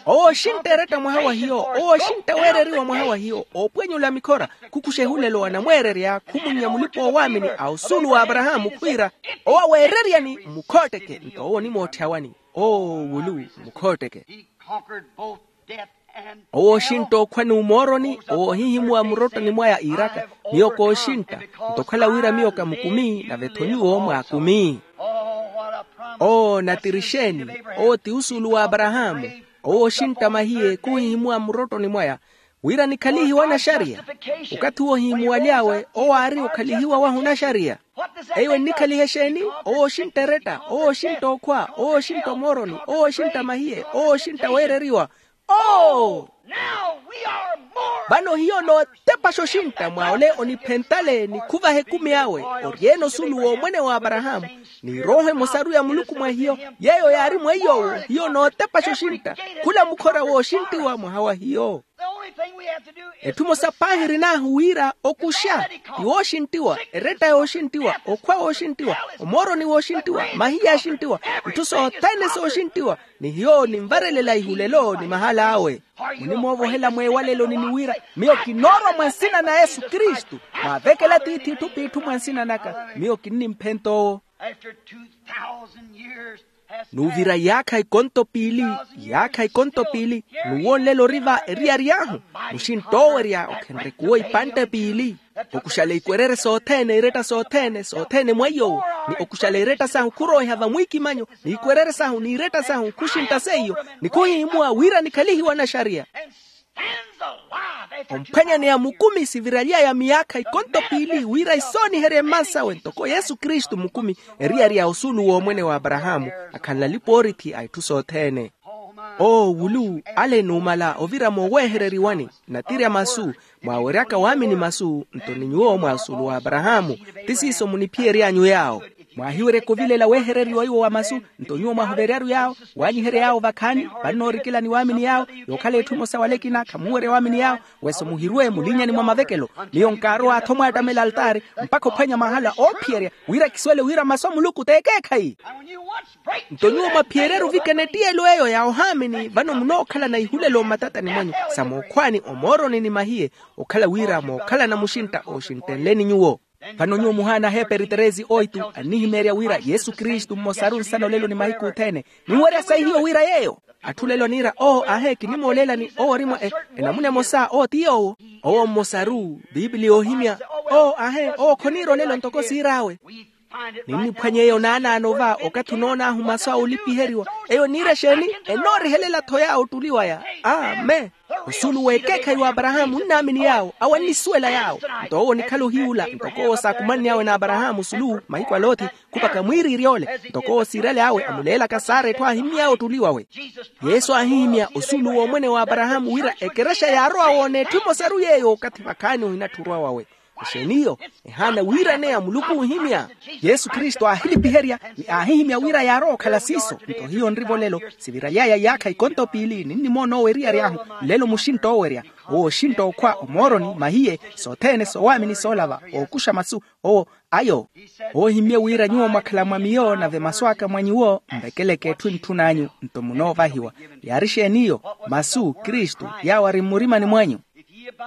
Owo oxintta eretta mwaha wa hiyo. Owo oxintta weereriwa mwaha wa hiyo oopwenyula mikhora. Khukuxa ehulelo anamweererya khumunnya mulipa-oowaamini a osuulu w'aparahaamu khwiira, owo aweereryani mmukhootteke nto owo onimootthya wani? Oo wulu. Mmukhootteke. Owo oxintta okhwa n'umooroni. Owo ohihimuwa murottoni mwaya iiraka, miyo kooxintta. Nto okhala wira miyo kamukumi nave-tho nyuwo mwaakumi. Oo natiri exeeni? Owo ti usuulu w'aparahaamu. Owo oxintta mahiye khuhihimuwa murottoni mwaya wira nikhalihiwe anaxariya. Okathi owo ohihimuwaly'awe owo aari okhalihiwa wahu onaxariya. Eyo ennikhaliha exeeni? Owo oxintta eretta. Owo oxintta okhwa. Owo oxintta omooroni. Owo oxintta mahiye. Owo oxintta weereriwa. Oo. Vano hiyo nootepaxa oxintta mwa ole oniphentale nikhuvaha ekumi awe, ori-ene osuulu w'omwene w'aparahaamu, n'irooho emosaru ya muluku mwa hiyo, yeeyo yaari mweiy'owo. Hiyo nootepaxa oxintta. Khula mukhora wooxinttiwa mwaha wa hiyo. Etthu emosa paahi erin'ahu wira okuxa. Ni wooxinttiwa. Eretta yooxinttiwa. Okhwa wooxinttiwa. Omooroni wooxinttiwa. Mahiya axinttiwa. Itthu sothene sooxinttiwa. Ni hiyo ninvarelela ihulelo ni mahala awe. Munimoovohela mweewaleloni ni wira, miyo kinoorwa mwa nsina na yesu kristu. Mwaavekela tiithi itthu p'itthu mwa nsina naka miyo kinnimphenta owo. N'uvira yaakha ikonto piili, yaakha ikonto piili, n'uwo nlelo ori va eriyari ahu. Muxintt'owerya okhenrekuwo ipantte piili. Okuxala ikwerere sothene iretta sothene sothene mwa iy'owo, ni okuxala iretta sahu khurooiha vamwiikimanyo, n'ikwerere sahu n'iretta sahu khuxintta seiyo, ni khuhihimuwa wira nikhalihiwe anaxariya. Omphwanyaneya mukumi siviraly'aya miyaakha ikonto piili wira isooniherye mmansawe ntoko yesu kristu mukumi, eriyari ya osuulu w'omwene w'aparahaamu, akhanle alipa-oorithi a itthu sothene. Oo wulu, ale numala ovira mooweehereriwani, natirya masu, mwaaweryaka waamini masu nto ni nyuwo mwa osuulu w'aparahaamu. Ti siiso muniphiyery'anyu yaawo. Mwaahiweryaka ovilela weehereriwa iwo wa masu, nto nyuwo mwahuveryaru yaawo, waanyiherya yaawo vakhaani. Vannoorikela ni waamini yaawo, yookhala etthu emosa wala ekina khamuwerya waamini yaawo. Weso muhirwe mulinnyani mwa mavekelo. Miyo nkaarowa-tho mwaattamela altaari, mpakha ophwanya mahala oophiyerya, wira kisuwele wira masu a muluku t'ekeekhayi. Nto nyuwo mwaphiyeryeru ovikana ettiyelo eyo ya ohaamini vano munookhalana ihulelo mmatatani mwanyu, sa mookhwaani omooroni ni mahiye, okhala wira mookhalana muxintta ooxinttenleni nyuwo. Vano nyuwo muhaana aheeperi teresi oitu annihimeerya wira yesu kristu mmosaru nsana olelo ni mahiku othene. Ninwerya sayi hiyo wira yeeyo. Atthu lelo niira oo ahe kinimooleelani owo ori mwa enamuna emosa oo ti yoowo. Owo mmosaru, piipili yoohimya. Oo ahe owo khoniira olelo ntoko siir'awe. Ninniphwanya eyo naanaano va okathi onoon'ahu masu a olipiheriwa. Eyo niira exeeni? Enoorihelela-tho yaawo ottuli waya. Amen. Osuulu w'ekeekhayi w'aparahaamu onnaamini yaawo awo annisuwela yaawo. Nto owo onikhala ohiyuula ntoko owo saakumanny'awe n'aparahaamu osulu mahiku a lothi, khupakha mwiiriirya ole. Ntoko owo siirale awe amuleelaka sara etthu aahimmy'awe ottuli wawe. Yesu aahihimya osuulu w'omwene w'aparahaamu wira ekerexa yaarowa woona etthu emosaru yeeyo okathi vakhaani ohinatthi orwa wawe. Exeeniyo? Ehaana wiiraneya muluku oohimya. Yesu kristu aahilipiherya ni aahihimya wira yaarowa okhala siiso nto hiyo nrivo lelo. Siviraly'aya iyaakha ikonto piili ninnimoona owo eriyari ahu. Nlelo muxintta oowerya, owo oxintta okhwa omooroni mahiye, sothene soowaamini soolava ookuxa masu. Owo ayo. Oohimmye wira nyuwo mwakhala mwa miyo nave masu aka mwa nyuwo mvekeleke etthu entthun'anyu. Nto munoovahiwa. Yaari exeeniyo? Masu kristu yaawo ari mmurimani mwanyu.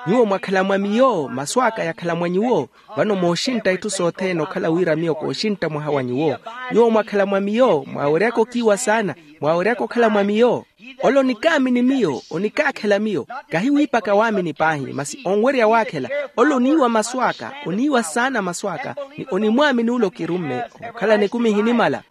Nyuwo mwakhala mwa miyo masu aka yakhala mwa nyuwo. Vano mooxintta itthu sothene okhala wira miyo kooxintta mwaha wa nyuwo. Nyuwo mwakhala mwa miyo mwaaweryaka okiiwa saana. Mwaaweryaka okhala mwa miyo. Ole onikaamini miyo, onikaakhela miyo. Kahi wiipaka waamini paahi, masi onwerya waakhela. Ole oniiwa masu aka, oniiwa saana masu aka, ni onimwaamini ole okirumme. Okhalana ekumi ehinimala.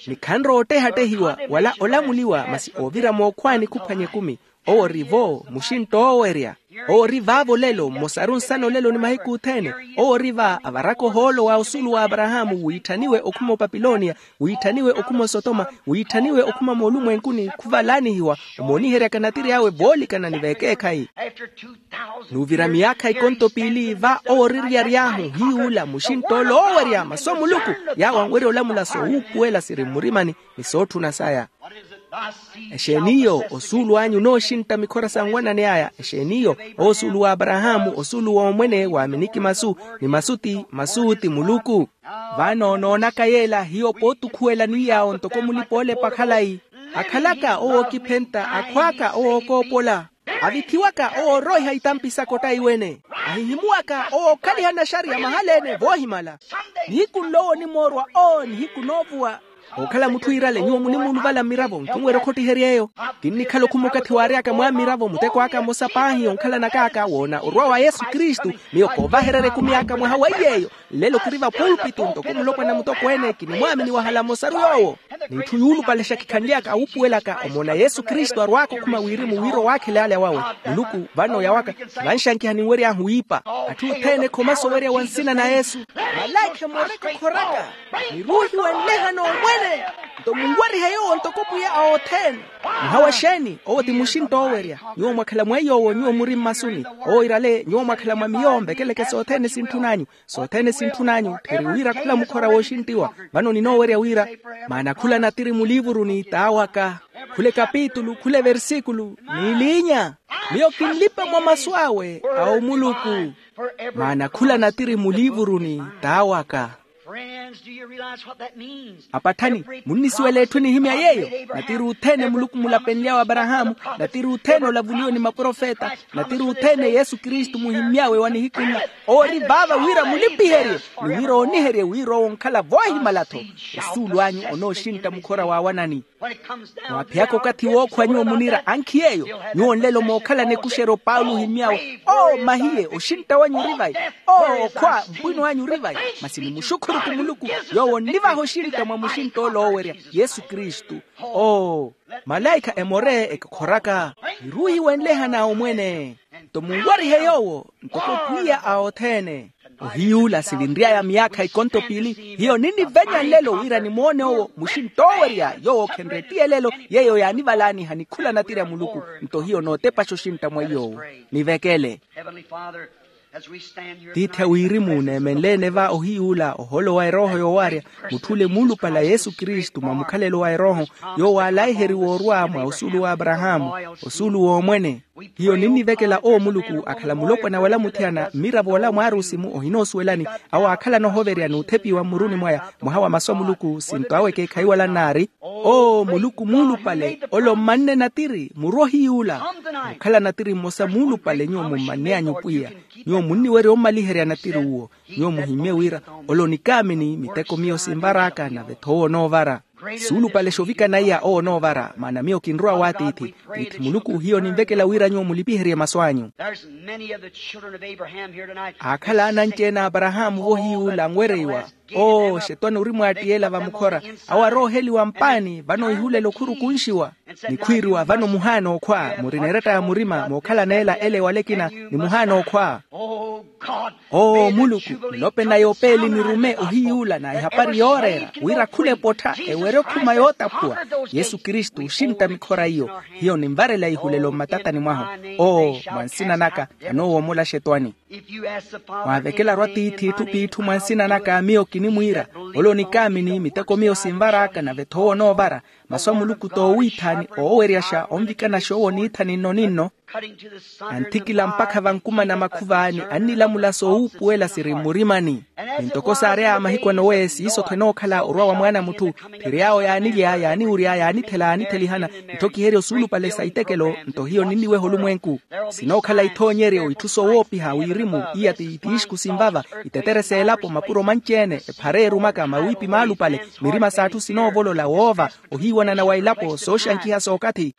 Ni khanrowa ottehattehiwa wala olamuliwa, masi oovira mookhwaani khuphwanya ekumi. Owo ori vo muxintta oowerya. Owo ori vaavo lelo mmosaru nsana olelo ni mahiku othene. Owo ori va avaraka ohoolo wa osuulu wa aparahaamu wiitthaniwe okhuma opapilonia, wiitthaniwe okhuma osotoma, wiitthaniwe okhuma moolumwenkuni khuvalaanihiwa, omooniheryaka natiri awe voolikana ni vekeekhayi. N'uvira miyaakha ikonto piili va owo ori ryary'ahu hiy'ula muxintt'ole oowerya masu a muluku. Yaawo anwerya olamula soowuupuwela siri mmurimani ni sootthuna saya. Exeeni iyo osuulu anyu onooxintta mikhora sa nwanani aya? Exeeni iyo owo osuulu wa aparahaamu, osuulu w'omwene waaminiki masu, ni masu ti masu ti muluku. Vano noonaka yeela hiyo pootukhuwela ni yaawo ntoko mulipa-oolepa khalayi. Akhalaka owo ookiphentta akhwaaka owo ookoopola. Avithiwaka owo ooroiha itampi saka ottaiwene. Ahihimuwaka owo okhaliha naxariya mahala-ene voohimala. Nihiku nlo owo onimoorwa oo nihiku noovuwa. Ookhala mutthu iirale nyuwo munimuuluvala mmiravo nkinwerya okhottiherya eyo. Kinnikhala okhuma okathi waary'aka mwa mmiravo muteko aka mmosa paahi onkhalanaka aka woona orwa wa yesu kristu. Miyo koovahererya ekumi aka mwaha wa iy'eyo. Nlelo kiri vapulpitu ntoko mulopwana mutokweene kinimwaamini wahala mmosaru yoowo. N'itthu yuulupalexa kikhanly'aka awuupuwelaka omoona yesu kristu arwaaka okhuma wirimu wira owaakhele ale awawe. Muluku vano yawaka. Vanxankiha ninwery'ahu wiipa. Atthu othene khomasa owerya wa nsina na yesu. Malaikha emooreke okhoraka. Niruuhiwe nleha n'omwene. Nto munwarihe yoowo ntoko pwiya a othene. Muhawa exeeni? Owo ti muxintta oowerya. Nyuwo mwakhala mweiy'owo nyuwo muri mmasuni. Owo irale nyuwo mwakhala mwa miyo mvekeleke sothene sintthun'anyu. Sothene sintthun'anyu tthiri wira khula mukhora wooxinttiwa. Vano ninoowerya wira maana khula natiri muliivuruni t'awaka. Khula ekapitulu khula eversikulu. N'iliinya. Miyo kinlipa mwa masu awe a omuluku. Maana khula natiri muliivuruni t'awaka. Apatthani, munnisuwela etthu enihimya yeeyo? Natiri othene muluku mulapenly'awe aparahaamu. Natiri othene olavuliwe ni maprofeta. Natiri othene yesu kristu muhimmy'awe wa nihiku nla. Owo ori vaava wira mulipiherye ni wira ooniherye wira owo onkhala voohimala-tho. Osuulu anyu onooxintta mukhora waawanani. Mwaaphiyaka okathi wookhwa nyuwo muniira ankhi yeeyo. Nyuwo nlelo mookhalana ekuxeryo paulo ohimmy'awe oo mahiye oxintta wanyu ori vayi. Oo okhwa mpwino anyu ori vayi. Masi ni muxukhurukhu muluku yoowo onnivaha oxintta mwa muxintta ole oowerya yesu kristu. Oo malaikha emore ekikhoraka. Niruuhiwe nlehana omwene. Nto munwarihe yoowo ntoko pwiya a othene. Ohiy'ula sivinry'aya miyaakha ikonto piili. Hiyo ninnivenya nlelo wira nimoone owo muxintta oowerya yoowo khenreettiye lelo. Yeeyo yaanivalaaniha ni khula natiri a muluku. Nto hiyo nootepaxa oxintta mwa iy'owo. Nivekele. Tiithi a wirimu neemenle-ene va ohiy'ula ohoolo wa erooho yoowarya. Mutthule muulupale a yesu kristu mwa mukhalelo wa erooho yoowo aalaiheriwa orwa mwa osuulu wa aparahaamu, osuulu w'omwene. Hiyo ninnivekela owo muluku akhala mulopwana wala muthiyana mmiravo wala mwaarusi-mu ohinoosuwelani. Awo aakhalana ohoverya n'uthepiwa mmuruni mwaya mwaha wa masu a muluku sinto awe ekeekhayi wala nnaari. Oo muluku muulupale ole ommanne natiri murwa ohiy'ula. Mukhala natiri mmosa muulupale nyuwo mummanny'anyu pwiya. Nyuwo munniwerya ommaliherya natiri uwo. Nyuwo muhimmye wira ole onikaamini miteko miyo sinvar'aka nave-tho owo onoovara. Suulupale xovikana iya owo onoovara maana miyo kinrowa w'atiithi. Tiithi muluku hiyo ninvekela wira nyuwo mulipiherye masu anyu. Aakhala ananci-ene a aparahaamu vohiy'ula anwereiwa. Oo xetwani ori mwaattiyela vamukhora. Awo arooheliwa mpaani vano ihulela okhurukunxiwa. Nikhwiiriwa vano muhaana okhwa murina eretta ya murima mookhalana ela ele ewala ekina. Ni muhaana okhwa. Oo muluku, nlope naya opeeli nirume ohiy'ula na ehapari yooreera wira khula epottha ewerye okhuma yootaphuwa. Yesu kristu oxintta mikhora iyo. Hiyo ninvarela ihulelo mmatatani mwahu. Oo mwa nsina naka anoowomola xetwani. Mwaavekelaru atiithi itthu p'itthu mwa nsina naka miyo kinimwiira. Ole onikaamini miteko miyo sinvar'aka nave-tho owo onoovara. Masu a muluku t'owiithani ooweryaxa onvikanaxa owo niithani nno ni nno. Anthikila mpakha vankumana makhuvaani, annilamula soowuupuwela siri mmurimani. Ni ntoko saary'aya mahiku anowe siiso-tho enookhala orwa wa mwaana a mutthu. Phiriy'awo yaanilya, yaaniwurya, yaanithela, yaanithelihana, itthokiherya osuulupale sa itekelo. Nto hiyo ninniweha olumwenku. Sinookhala ithoonyeryo, itthu soowoopiha wirimu. Iya ti tiixku sinvava, itetere s'elapo, mapuro manci-ene, ephara eerumaka, mawiipi maalupale, mirima s'atthu sinoovolola, woova, ohiiwanana wa elapo, sooxankiha s'okathi.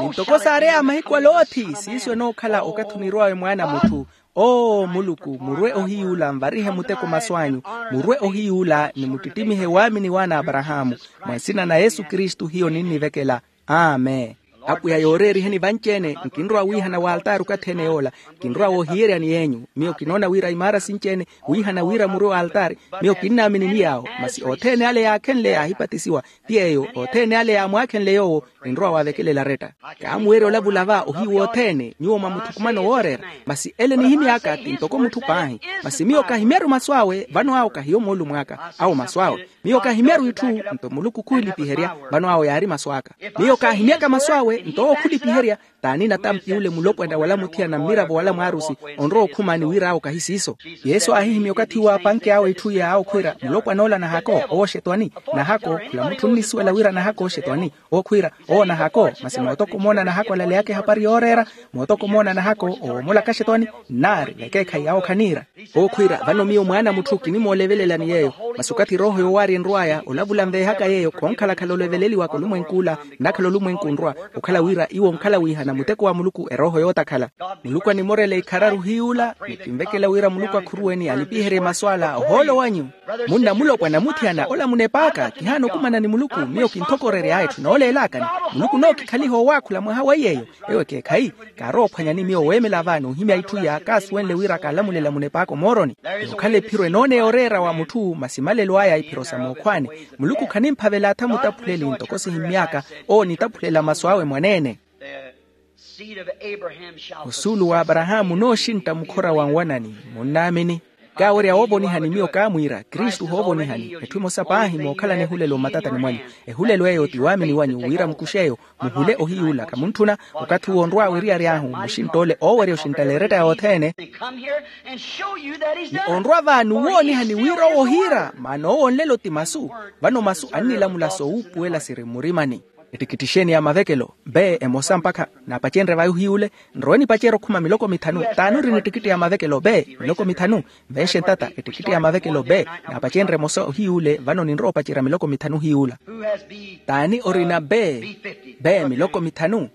Ni ntoko saareya mahiku a loothi siiso enookhala okathi onirw'awe mwaana a mutthu. Oo muluku, murwe ohiyuula nvarihe muteko masu anyu. Murwe ohiyuula ni muttittimihe waamini waana a aparahaamu. Mwa nsina na yesu kristu hiyo ninnivekela. Amen. Apwiya yooreeriheni vanci-ene, nkinrowa wiihana w'altaari okathi-ene yoola. Nkinrowa woohiyeryani yeenyu. Miyo kinoona wira imaara sinci-ene wiihana wira murwe w'altaari. Miyo kinnaamini ni yaawo, masi othene ale yaakhenle yaahipatisiwa. Ti yeeyo othene ale yaamwaakhenle yoowo. Ninrowa waavekelela aretta. Kaamuweerya olavula va ohiyu wothene nyuwo mwa mutthukumano wooreera. Masi ele nihimy'aka ti ntoko mutthu paahi. Masi miyo kahimya-ru masu awe vano awo kahiyo moolumo aka. Awo masu awe. Miyo kahimya-ru itthu. Nto muluku khulipiherya. Vano awo yaari masu aka. Miyo kaahimyaka masu awe nto owo khulipiherya. T'ani natampi ule mulopwana wala muthiyana mmiravo wala mwaarusi onrowa okhumaani wira awo kahi siiso. Yesu aahihimya okathi uwo apanke awo itthu iya awo khwiira mulopwana ola nahako owo oxetwani. Nahako khula mutthu onnisuwela wira nahako oxetwani. Owo khwiira owo nahako. Masi mootoko omoona nahako alaleyaka ehapari yooreera. Mootoko omoona nahako owo omolaka axetwani. Nnaari vekeekhayi awo khaniira. Owo khwiira vano miyo mwaana a mutthu kinimoolevelelani yeeyo. Masi okathi erooho yoowaarya enrw'aya olavula nveehaka yeeyo khonkhalakhala oleveleliwaka olumwenku ola. Nnakhala olumwenku onrwa okhala wira iwo onkhala wiihana muteko wa muluku erooho yootakhala. Muluku animorela ikhararu hiyuula ni kinvekela wira muluku akhuruweni alipiherye masu ala ohoolo wanyu. Munna mulopwana muthiyana ola munepaaka kihaana okumana ni muluku miyo kinthokorery'aya etthu nooleelakani. Muluku nookikhaliha owaakhula mwaha wa iy'eyo. Ewo ekeekhayi kaarowa ophwanyani miyo weemela vaani ohimya itthu iya kaasuwenle wira kaalamulela munepaaka omooroni. Yookhala ephiro enooneya oreera wa mutthu masi malelo aya iphiro sa mookhwaani. Muluku khanimphavela atha mutaphuleli ntoko sihimmy'aka. Owo onitaphulela masu awe mwaneene. Osuulu w'aparahaamu onooxintta mukhora wa nwanani. Munnaamini? Kaawerya woovonihani miyo kaamwiira kristu hoovonihani. Etthu emosa paahi mookhalana ehulelo mmatatani mwanyu. Ehulelo eyo ti waamini wanyu wira mukuxe eyo. Muhule ohiyuula khamutthuna. Okathi uwo onrwa weriyari ahu muxintta ole oowerya oxinttala eretta yothene. Ni onrwa vaani owoonihani wira owo ohiira maana owo onlelo ti masu. Vano masu annilamula soowuupuwela siri mmurimani. Ettikitti exeeni ya mavekelo? Bee emosa mpakha naapacenrye vayi ohiyuule. Nrowe nipacerye okhuma miloko mithanu. T'ani orina ettikitti ya mavekelo bee miloko mithanu? Nvenxe ntata ettikitti ya mavekelo bee. Naapacenrye emosa ohiyuule vano ninrowa opacerya miloko mithanu ohiyuula. T'ani orina bee? Bee miloko mithanu.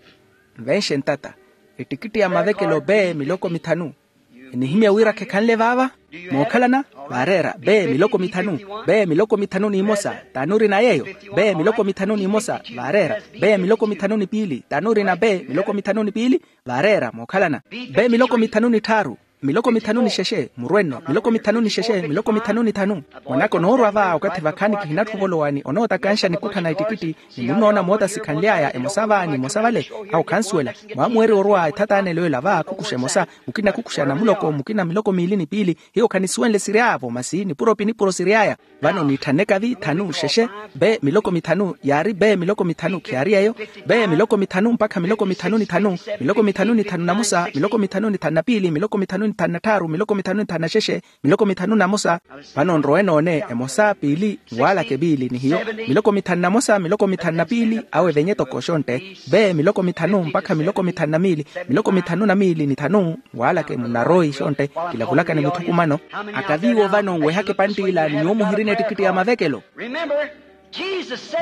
Nvenxe ntata ettikitti ya mavekelo bee miloko mithanu. Enihimya wira khekhanle vaava. Mookhalana? Vaareera bee miloko mithanu. Bee miloko mithanu n'imosa. T'ani orina yeeyo? Bee miloko mithanu n'imosa. Vaareera bee miloko mithanu ni piili. T'ani orina bee miloko mithanu ni piili? Vaareera mookhalana. Bee miloko mithanu ni tthaaru. Miloko mithanu ni xexe murwenno miloko mithanu ni xexe miloko mithanu ni thanu. Mwanaka onoorwa va okathi vakhaani kihinatthu ovolowa ni onootakanxa nikutthana ettikitti. Ni munnoona moota sikhanly'aya emosa va ni emosa vale. Awo khansuwela. Mwaamuwerya orwa ethatanelo ela va khukuxa emosa. Mukina khukuxa namuloko mukina miloko miili ni piili. Hiyo khanisuwenle siry'avo masi nipuro pi nipuro siry'aya. Vano niitthanneka vi thanu xexe. Bee miloko mithanu yaari bee miloko mithanu khiyaari yeeyo. Bee miloko mithanu mpakha miloko mithanu ni thanu. Miloko mithanu ni thanu namosa miloko mithanu ni thanu na piili miloko mithanu ni thanu na tthaaru miloko mithanu ni thanu na xexe. Miloko mithanu namosa. Vano nrowe noone emosa piili nwaalaka epiili ni hiyo. Miloko mithanu namosa miloko mithanu na piili awe venye toko xontte. Bee miloko mithanu mpakha miloko mithanu na miili. Miloko mithanu na miili ni thanu. Nwaalaka emunaroyi xontte. Kilavulaka ni muthukumano. Akaviiwo vano nwehaka epanttila ni nyuwo muhirina ettikitti ya mavekelo.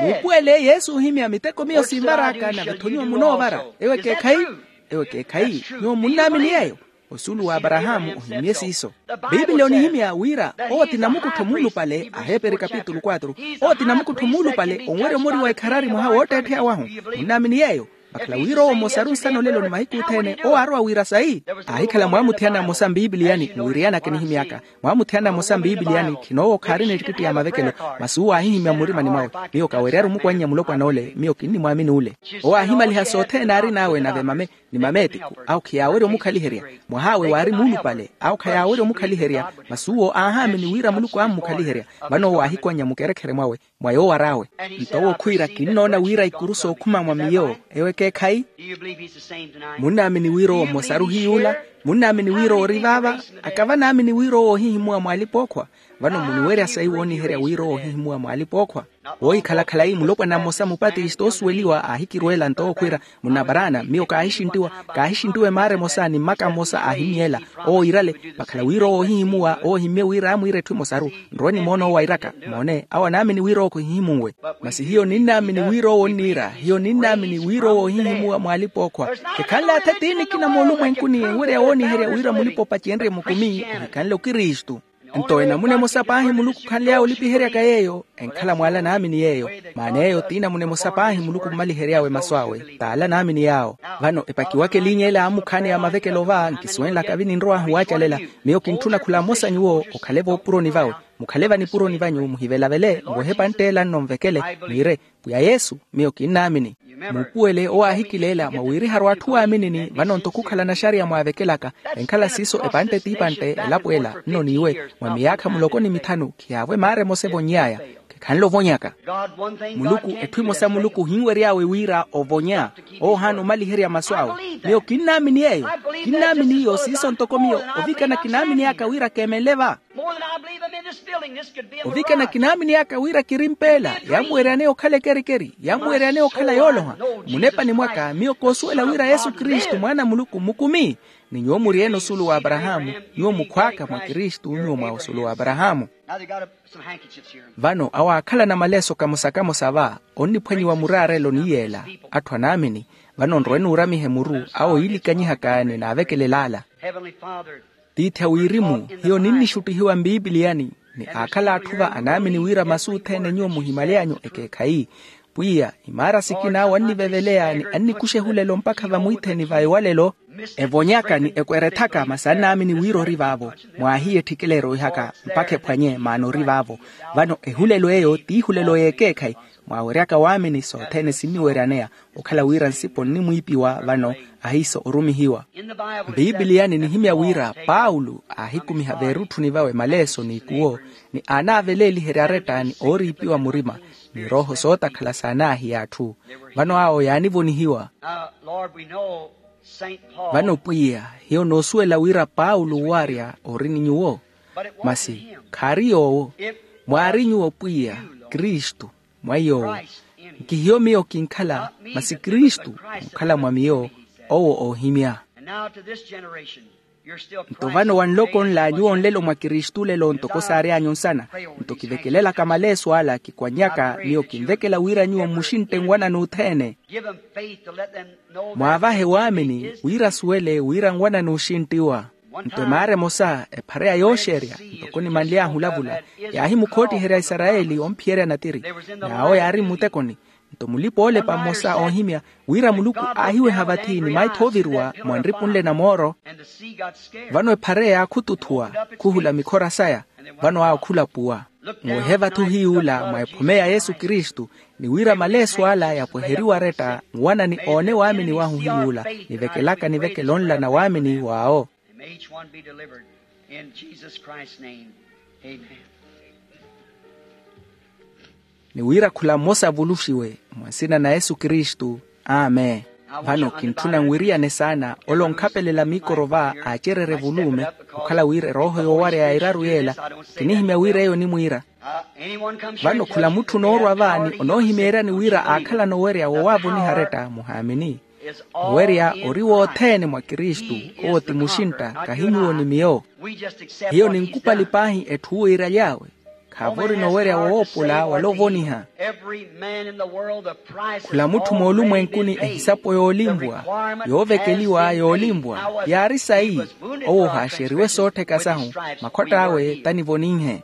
Muupuwele yesu ohimya miteko miyo sinvar'aka nave-tho nyuwo munoovara. Ewo ekeekhayi? Ewo ekeekhayi? Nyuwo munnaamini yeeyo? Osuulu w'aparahaamu ohimye siiso. Piipili onihimya wira owo ti namukuttho muulupale aheeperi kapitulu quatro. Owo ti namukuttho muulupale onwerya omori wa ikharari mwaha wootteettheya wahu. Munnaamini yeeyo? Vakhala wira owo mmosaru nsana olelo ni mahiku othene owo aarowa wira sayi. Aahikhala mwaamuthiyana mmosa mpiipiliyani mwiriyanaka enihimy'aka. Mwaamuthiyana mmosa mpiipiliyani khinoowo khaarina ettikitti ya mavekelo. Masi uwo aahihimya mmurimani mwawe, miyo kawerya-ru mukwannya mulopwana ole miyo kinnimwaamini ole. Owo aahimaliha sothene aarin'awe nave mame. Ni mameetiku awo khiyaawerya omukhaliherya. Mwah'awe waari muulupale awo khayaawerya omukhaliherya. Masi uwo aahaamini wira muluku aammukhaliherya. Vano owo aahikwannya mukerekhere mwawe, mwa yoowar'awe. Nto owo khwiira kinnoona wira ikuru sookhuma mwa miyo eyo ekeekhayi. Munnaamini wira owo mmosaru hiy'ula? Munnaamini wira owo ori vaava? Aka vanaamini wira owo ohihimuwa mw'alipa-ookhwa? Vano muniwerya sayi wooniherya wira owo ohihimuwa mw'alipa-ookhwa. Woohikhala khalayi mulopwana mmosa mupatisto oosuweliwa aahikirweela nto owo khwiira, munnaparaana miyo kaahixinttiwa, kaahixinttiwa emaara emosa ni mmaka mmosa aahimy'ela. Owo iirale vakhala wira owo ohihimuwa owo ohimmye wira aamwiira etthu emosaru. Nrowe nimoona owo airaka moone awo anaamini wira owo khuhihimunwe. Masi hiyo ninnaamini wira owo onniira hiyo ninnaamini wira owo ohihimuwa mw'alipa-ookhwa. Khekhanle atha tiinikina moolumwenkuni enwerya wooniherya wira mulipa-opacenrye mukumi ohikhanle okristu. Nto enamuna emosa paahi muluku khanly'awe olipiheryaka yeeyo enkhala mw'ala naamini yeeyo. Maana eyo t'inamuna emosa paahi muluku ommalihery'awe masu awe t'ala naamini yaawo. Vano epakiwaka eliinya ela aamukhaani ya mavekelo va nkisuwenlaka vininrow'ahu waacalela. Miyo kintthuna khula mmosa nyuwo okhale voopuroni vawe. Mukhale vanipuroni vanyu muhivelavele nwehe epantte ela nnonvekele mwiire, pwiya yesu, miyo kinnaamini. Muupuwele owo aahikileela mwa wiriharu atthu waaminini vano nto khukhala naxariya mwaavekelaka. Enkhala siiso epantte t'ipantte elapo ela nno n'iwe, mwa miyaakha muloko ni mithanu khiyaavo emaara emosa evonny'aya. Khekhanle ovonyaka. Muluku etthu emosa muluku ohinwery'awe wira ovonya. Owo ohaana omaliherya masu awe. Miyo kinnaamini yeeyo. Kinnaamini iyo siiso ntoko miyo ovikana kinaaminiy'aka wira keemenle va. Ovikana kinaaminiy'aka wira kiri mpeela yammuweryaneya okhala ekerikeri yammuweryaneya okhala yooloha. Munepani mwaka miyo koosuwela wira yesu kristu mwaana a muluku mukumi. Ni nyuwo muri-ene osuulu w'aparahaamu. Nyuwo mukhw'aka mwa kristu nyuwo mwa osuulu w'aparahaamu. Vano awo aakhalana maleeso kamosa-kamosa va onniphwanyiwa muraarelo ni yeela. Atthu anaamini. Vano nrowe nuuramihe muru awo yiilikanyihaka ni naavekelel'ala. Tiithi a wirimu, hiyo ninnixuttihiwa mbiipiliyani. Ni aakhala atthu va anaamini wira masu othene nyuwo muhimaly'anyu ekeekhayi. Pwiya imaara sikina awo anniveveleya ni annikuxa ehulelo mpakha vamwiitheni va ewalelo. Evonyaka ni ekwerethaka masi annaamini wira ori vaavo. Mwaahiya etthikela eroihaka mpakha ephwanye maana ori vaavo. Vano ehulelo eyo t'ihulelo y'ekeekhayi. Mwaaweryaka waamini sothene sinniweryaneya. Okhala wira nsipo nnimwiipiwa vano ahiiso orumihiwa. Mbiipiliyani nihimya wira paulo aahikumiha veerutthuni vawe maleeso n'ikuwo, ni aanaaveleeliherya aretta ni ooriipiwa murima, ni erooho sootakhala saanaahiya atthu. Vano awo yaanivonihiwa. Vano pwiya, hiyo noosuwela wira paulo waarya ori ni nyuwo. Masi khaari yoowo. Mwaari nyuwo pwiya, kristu. Mwa yoowo. Nkihiyo miyo kinkhala, masi kristu mukhala mwa miyo. Owo oohimya. Nto vano wanloko nla nyuwo nlelo mwa kristu lelo ntoko saary'anyu nsana. Nto kivekelelaka maleeso ala kikwannyaka miyo kinvekela wira nyuwo mmuxintte nwanani othene. Mwaavahe waamini wira asuwele wira nwanani oxinttiwa. Nto emaara emosa ephareya yooxerya ntoko nimanly'ahu olavula, yaahimukhoottiherya aisarayeli omphiyerya natiri. N'awo yaari mmutekoni. Nto mulipa-oolepa mmosa oohimya wira muluku aahiweha vathi ni maitho ooviriwa mwa nripu nle na mooro. Vano ephareya yaakhututhuwa, khuhula mikhora saya. Vano awo khulapuwa. Muwehe vathu hiy'ula mwa ephome ya yesu kristu, ni wira maleeso ala yapweheriwe aretta nwanani oone waamini wahu hiy'ula, nivekelaka nivekelo nla na waamini waawo. And may each one be delivered in Jesus Christ's name. Amen. Ni wira khula mmosa avuluxiwe mwa nsina na yesu kristu. Amen. Vano kintthuna nwiriyane saana ole onkhapelela miikoro va aacererye evulume, okhala wira erooho yoowarya ya iraru yeela. Kinihimya wira eyo onimwiira. Vano khula mutthu onoorwa vaani onoohimeeryani wira aakhalana owerya wowaavoniha aretta muhaamini. Owerya ori wothene mwa kristu. Owo ti muxintta, kahi nyuwo ni miyo. Hiyo ninkupali paahi etthu wiiraly'awe. Khaavo orina owerya woopola wala ovoniha. Khula mutthu moolumwenkuni ehisapo yoolinvwa, yoovekeliwa yoolinvwa yaari sayi. Owo ohaaxeriwe soottheka sahu. Makhwatt'awe tanivoninhe.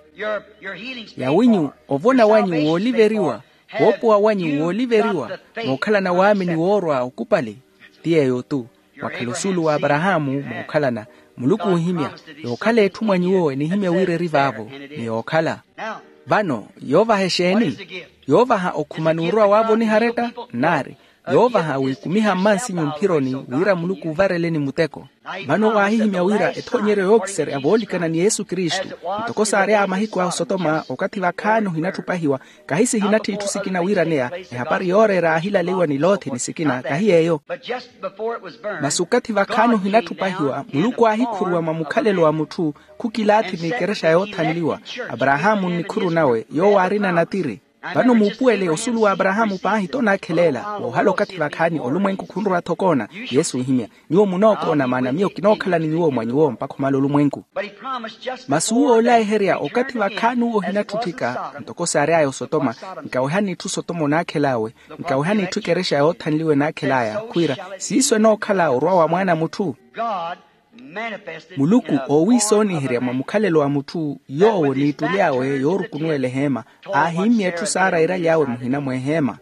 Yawinyu, ovona wanyu wooliveriwa, woopowa wanyu wooliveriwa mookhalana waamini woorwa okupali. Ti yeeyo-tu. Mwakhala osuulu w'aparahaamu mookhalana. Muluku oohimya yookhala etthu mwa nyuwo enihimya wira eri vaavo. Ni yookhala. Vano yoovaha exeeni? Yoovaha okhuma n'urwa waavoniha aretta. Nnaari. yoovaha wikumiha mmansinyu mphironi wira muluku ovareleni muteko. Vano waahihimya wira ethoonyeryo yookiserya voolikana ni yesu kristu, ntoko saary'aya mahiku a osotoma okathi vakhaani ohinattupahiwa, kahi sihinatthi itthu sikina wiiraneya. Ehapari yooreera aahilaleiwa ni lothi ni sikina kahi yeeyo. Masi okathi vakhaani ohinattupahiwa muluku aahikhuruwa mwa mukhalelo wa mutthu, khukilaathi n'ikerexa yoothanliwa, aparahaamu nnikhuru nawe yoowo aarina natiri. Vano muupuwele osulu wa aparahaamu paahi tonaakheleela woohala okathi vakhaani olumwenku khunrowa-tho okoona. Yesu ohimya, nyuwo munookoona maana miyo kinookhala ni nyuwo mwa nyuwo mpakha omala olumwenku. Masi uwo oolaiherya okathi vakhaani uwo ohinattutthika ntoko saary'aya osotoma, nkawehani itthu sotoma onaakhel'awe, nkawehani itthu ekerexa yoothanliwa enaakhel'aya khwiira siiso enookhala orwa wa mwaana a mutthu. Muluku oowiisooniherya mwa mukhalelo wa mutthu yoowo n'ittuli awe yoorukunuwela eheema, aahimmya etthu saara eeraly'awe muhina mweheema.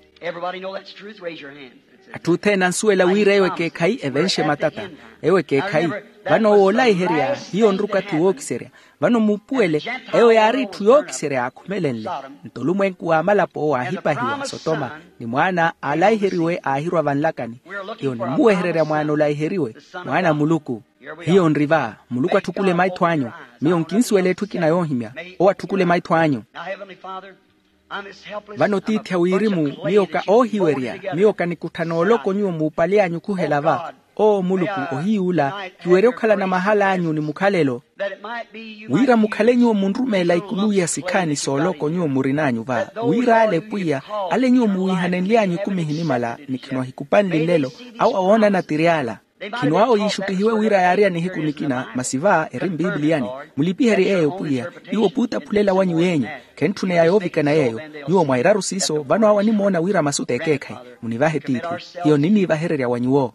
Atthu othene ansuwela wira eyo ekeekhayi evenxe matata. Eyo ekeekhayi. Vano woolaiherya hiyo nri okathi wookiserya. Vano muupuwele, eyo yaari etthu yookiserya yaakhumelenle. Nto olumwenku w'amalapo waahipahiwa sotoma, ni mwaana aalaiheriwe aahirwa vanlakani. Hiyo nimmuwehererya mwaana olaiheriwe, mwaana a muluku. Hiyo nri va. Muluku atthukule maitho anyu. Miyo nkinsuwela etthu ekina yoohimya. Owo atthukule maitho anyu. Vano tiithi a wirimu, miyo ka oohiwerya, miyo kanikutthana oloko nyuwo muupali anyu khuhela va. Oo muluku, ohiy'ula kiwerye okhalana mahala anyu ni mukhalelo, wira mukhale nyuwo munrumeela ikuluwi ya sikhaani sooloko nyuwo murin'anyu va, wira ale pwiya, ale nyuwo muwiihanenly'anyu ekumi ehinimala ni khino ahikupanle nlelo, awo awoonana tiri ala. Khino awo yiixuttihiwe wira yaarya nihiku nikina masi va eri mpipiliyani. Mulipiherye yeeyo pwiya, iwo puutaphulela wanyu yeenyu. Khentthuneya yoovikana yeeyo. Nyuwo mwa eraru siiso vano awo animoona wira masu t'ekeekhayi. Munivahe tiithi. Hiyo niniivahererya wa nyuwo.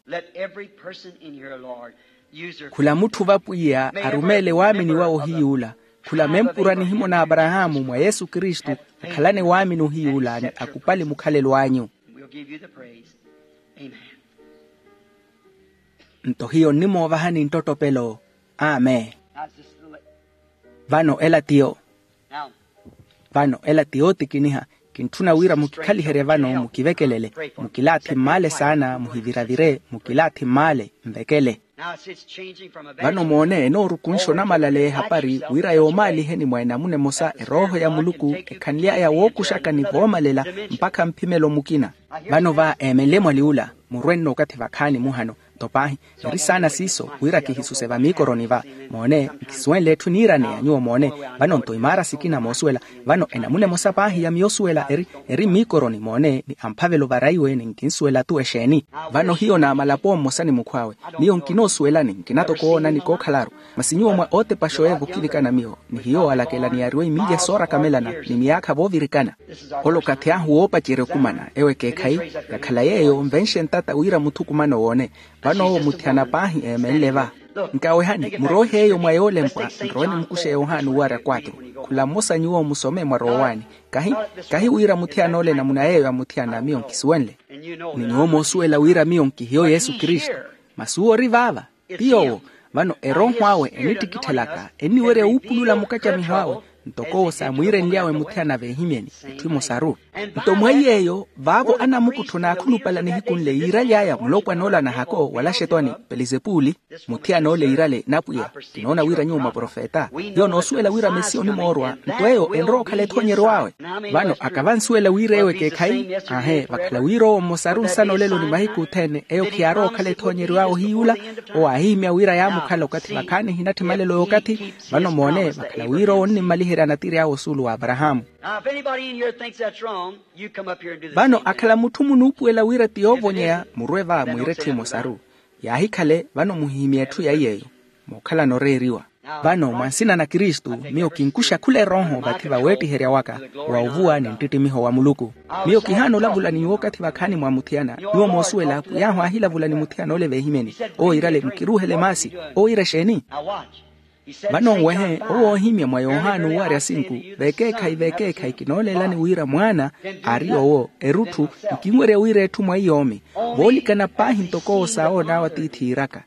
Khula mutthu va pwiya arumeele waamini wawe ohiy'ula. Khula mempura nihimo na aparahaamu mwa yesu kristu, akhalane waamini ohiy'ula ni akupali mukhalelo anyu. Nto hiyo nnimoovahani nttottopelo. Amen. Vano ela tiyo. Vano ela ti yootikiniha. Kintthuna wira mukikhaliherye vano mukivekelele, mukilaathi mmaale saana muhiviravire mukilaathi mmaale. Nvekele. Vano moone enoorukunxa onamalaleya ehapari wira yoomaaliheni mwa enamuna emosa erooho ya muluku ekhanly'aya wookuxaka ni voomalela mpakha mphimelo mukina. Vano va eemenle mwali ula murwenno okathi vakhaani muhano. Nto paahi eri saana siiso wira kihisuse vamiikoroni va. Moone nkisuwenle etthu eniiraneya nyuwo moone. Vano nto imaara sikina moosuwela. Vano enamuna emosa paahi ya miyo osuwela eri eri mmiikoroni moone ni amphavelo varaiwe ni nkinsuwela tu exeeni. Vano hiyo naamalapo mmosa ni mukhw'awe. Miyo nkinoosuwelani nkina toko woonani kookhalaru. Masi nyuwo mwa ootepaxa oyeeva okivikana miyo ni hiyo alakela ni yaariwa imilya soorakamelana ni miyaakha voovirikana. Ole okathi ahu woopacerya okumana ewo ekeekhayi. Yakhala yeeyo nvenxe ntata wira muthukumano woone. Vano owo muthiyana paahi eemenle va. Nkawehani muroohe eyo mwa yoolempwa. Nrowe nimukuxe yohani owarya kwatru. Khula mmosa nyuwo musome mwarowa owaani. Kahi kahi wira muthiyana ole namuna yeeyo amuthiyana miyo nkisuwenle. Ni nyuwo moosuwela wira miyo nkihiyo yesu kristu. Masi uwo ori vaava. Ti yoowo. Vano erooho awe enittikitthelaka enniwerya wuupulula mukacamiho awe ntoko owo saamwiirenly'awe muthiyana veehimyeni. Etthu emosaru. Nto mweiy'eyo vaavo anamukuttho naakhulupala nihiku nle yiiraly'aya mulopwana ola nahako wala axetwani pelizepuli. Muthiyana ole yiirale napwiya. Kinoona wira nyuwo mwaprofeta. Hiyo noosuwela wira mesiya onimoorwa nto eyo enrowa okhala ethoonyeryo awe. Vano aka vansuwela wira ewo ekeekhayi. Aahe vakhala wira owo mmosaru nsana olelo ni mahiku othene eyo khiyaarowa okhala ethoonyeryo awe ohiy'ula. Owo aahihimya wira yaamukhala okathi vakhaani ehinatthi malelo y'okathi. Vano moone vakhala wira owo onnimmaliherya natiri awe osuulu wa aparahaamu. Vano akhala mutthu munuupuwela wira ti yoovonyeya murwe va mwiire etthu emosaru. Yaahikhale vano muhihimye etthu yaiy'eyo. Mookhalana oreeriwa. Vano mwa nsina na kristu miyo kinkuxa khula erooho vathi vaweettiherya waka wa ovuwa ni nttittimiho wa muluku. Miyo kihaana olavula ni nyuwo okathi vakhaani mwa muthiyana nyuwo moosuwela pwiy'ahu aahilavula ni muthiyana ole veehimyeni. Owo yiirale mukiruuhele maasi. Owo yiira exeeni? Vano nwehe owo oohimya mwa yohani owarya sinku. Vekeekhayi vekeekhayi kinooleelani wira mwaana aari yoowo erutthu. Nkinwerya wira etthu mwa iyoomi voolikana paahi ntoko owo saawoon'awe atiithi yiiraka.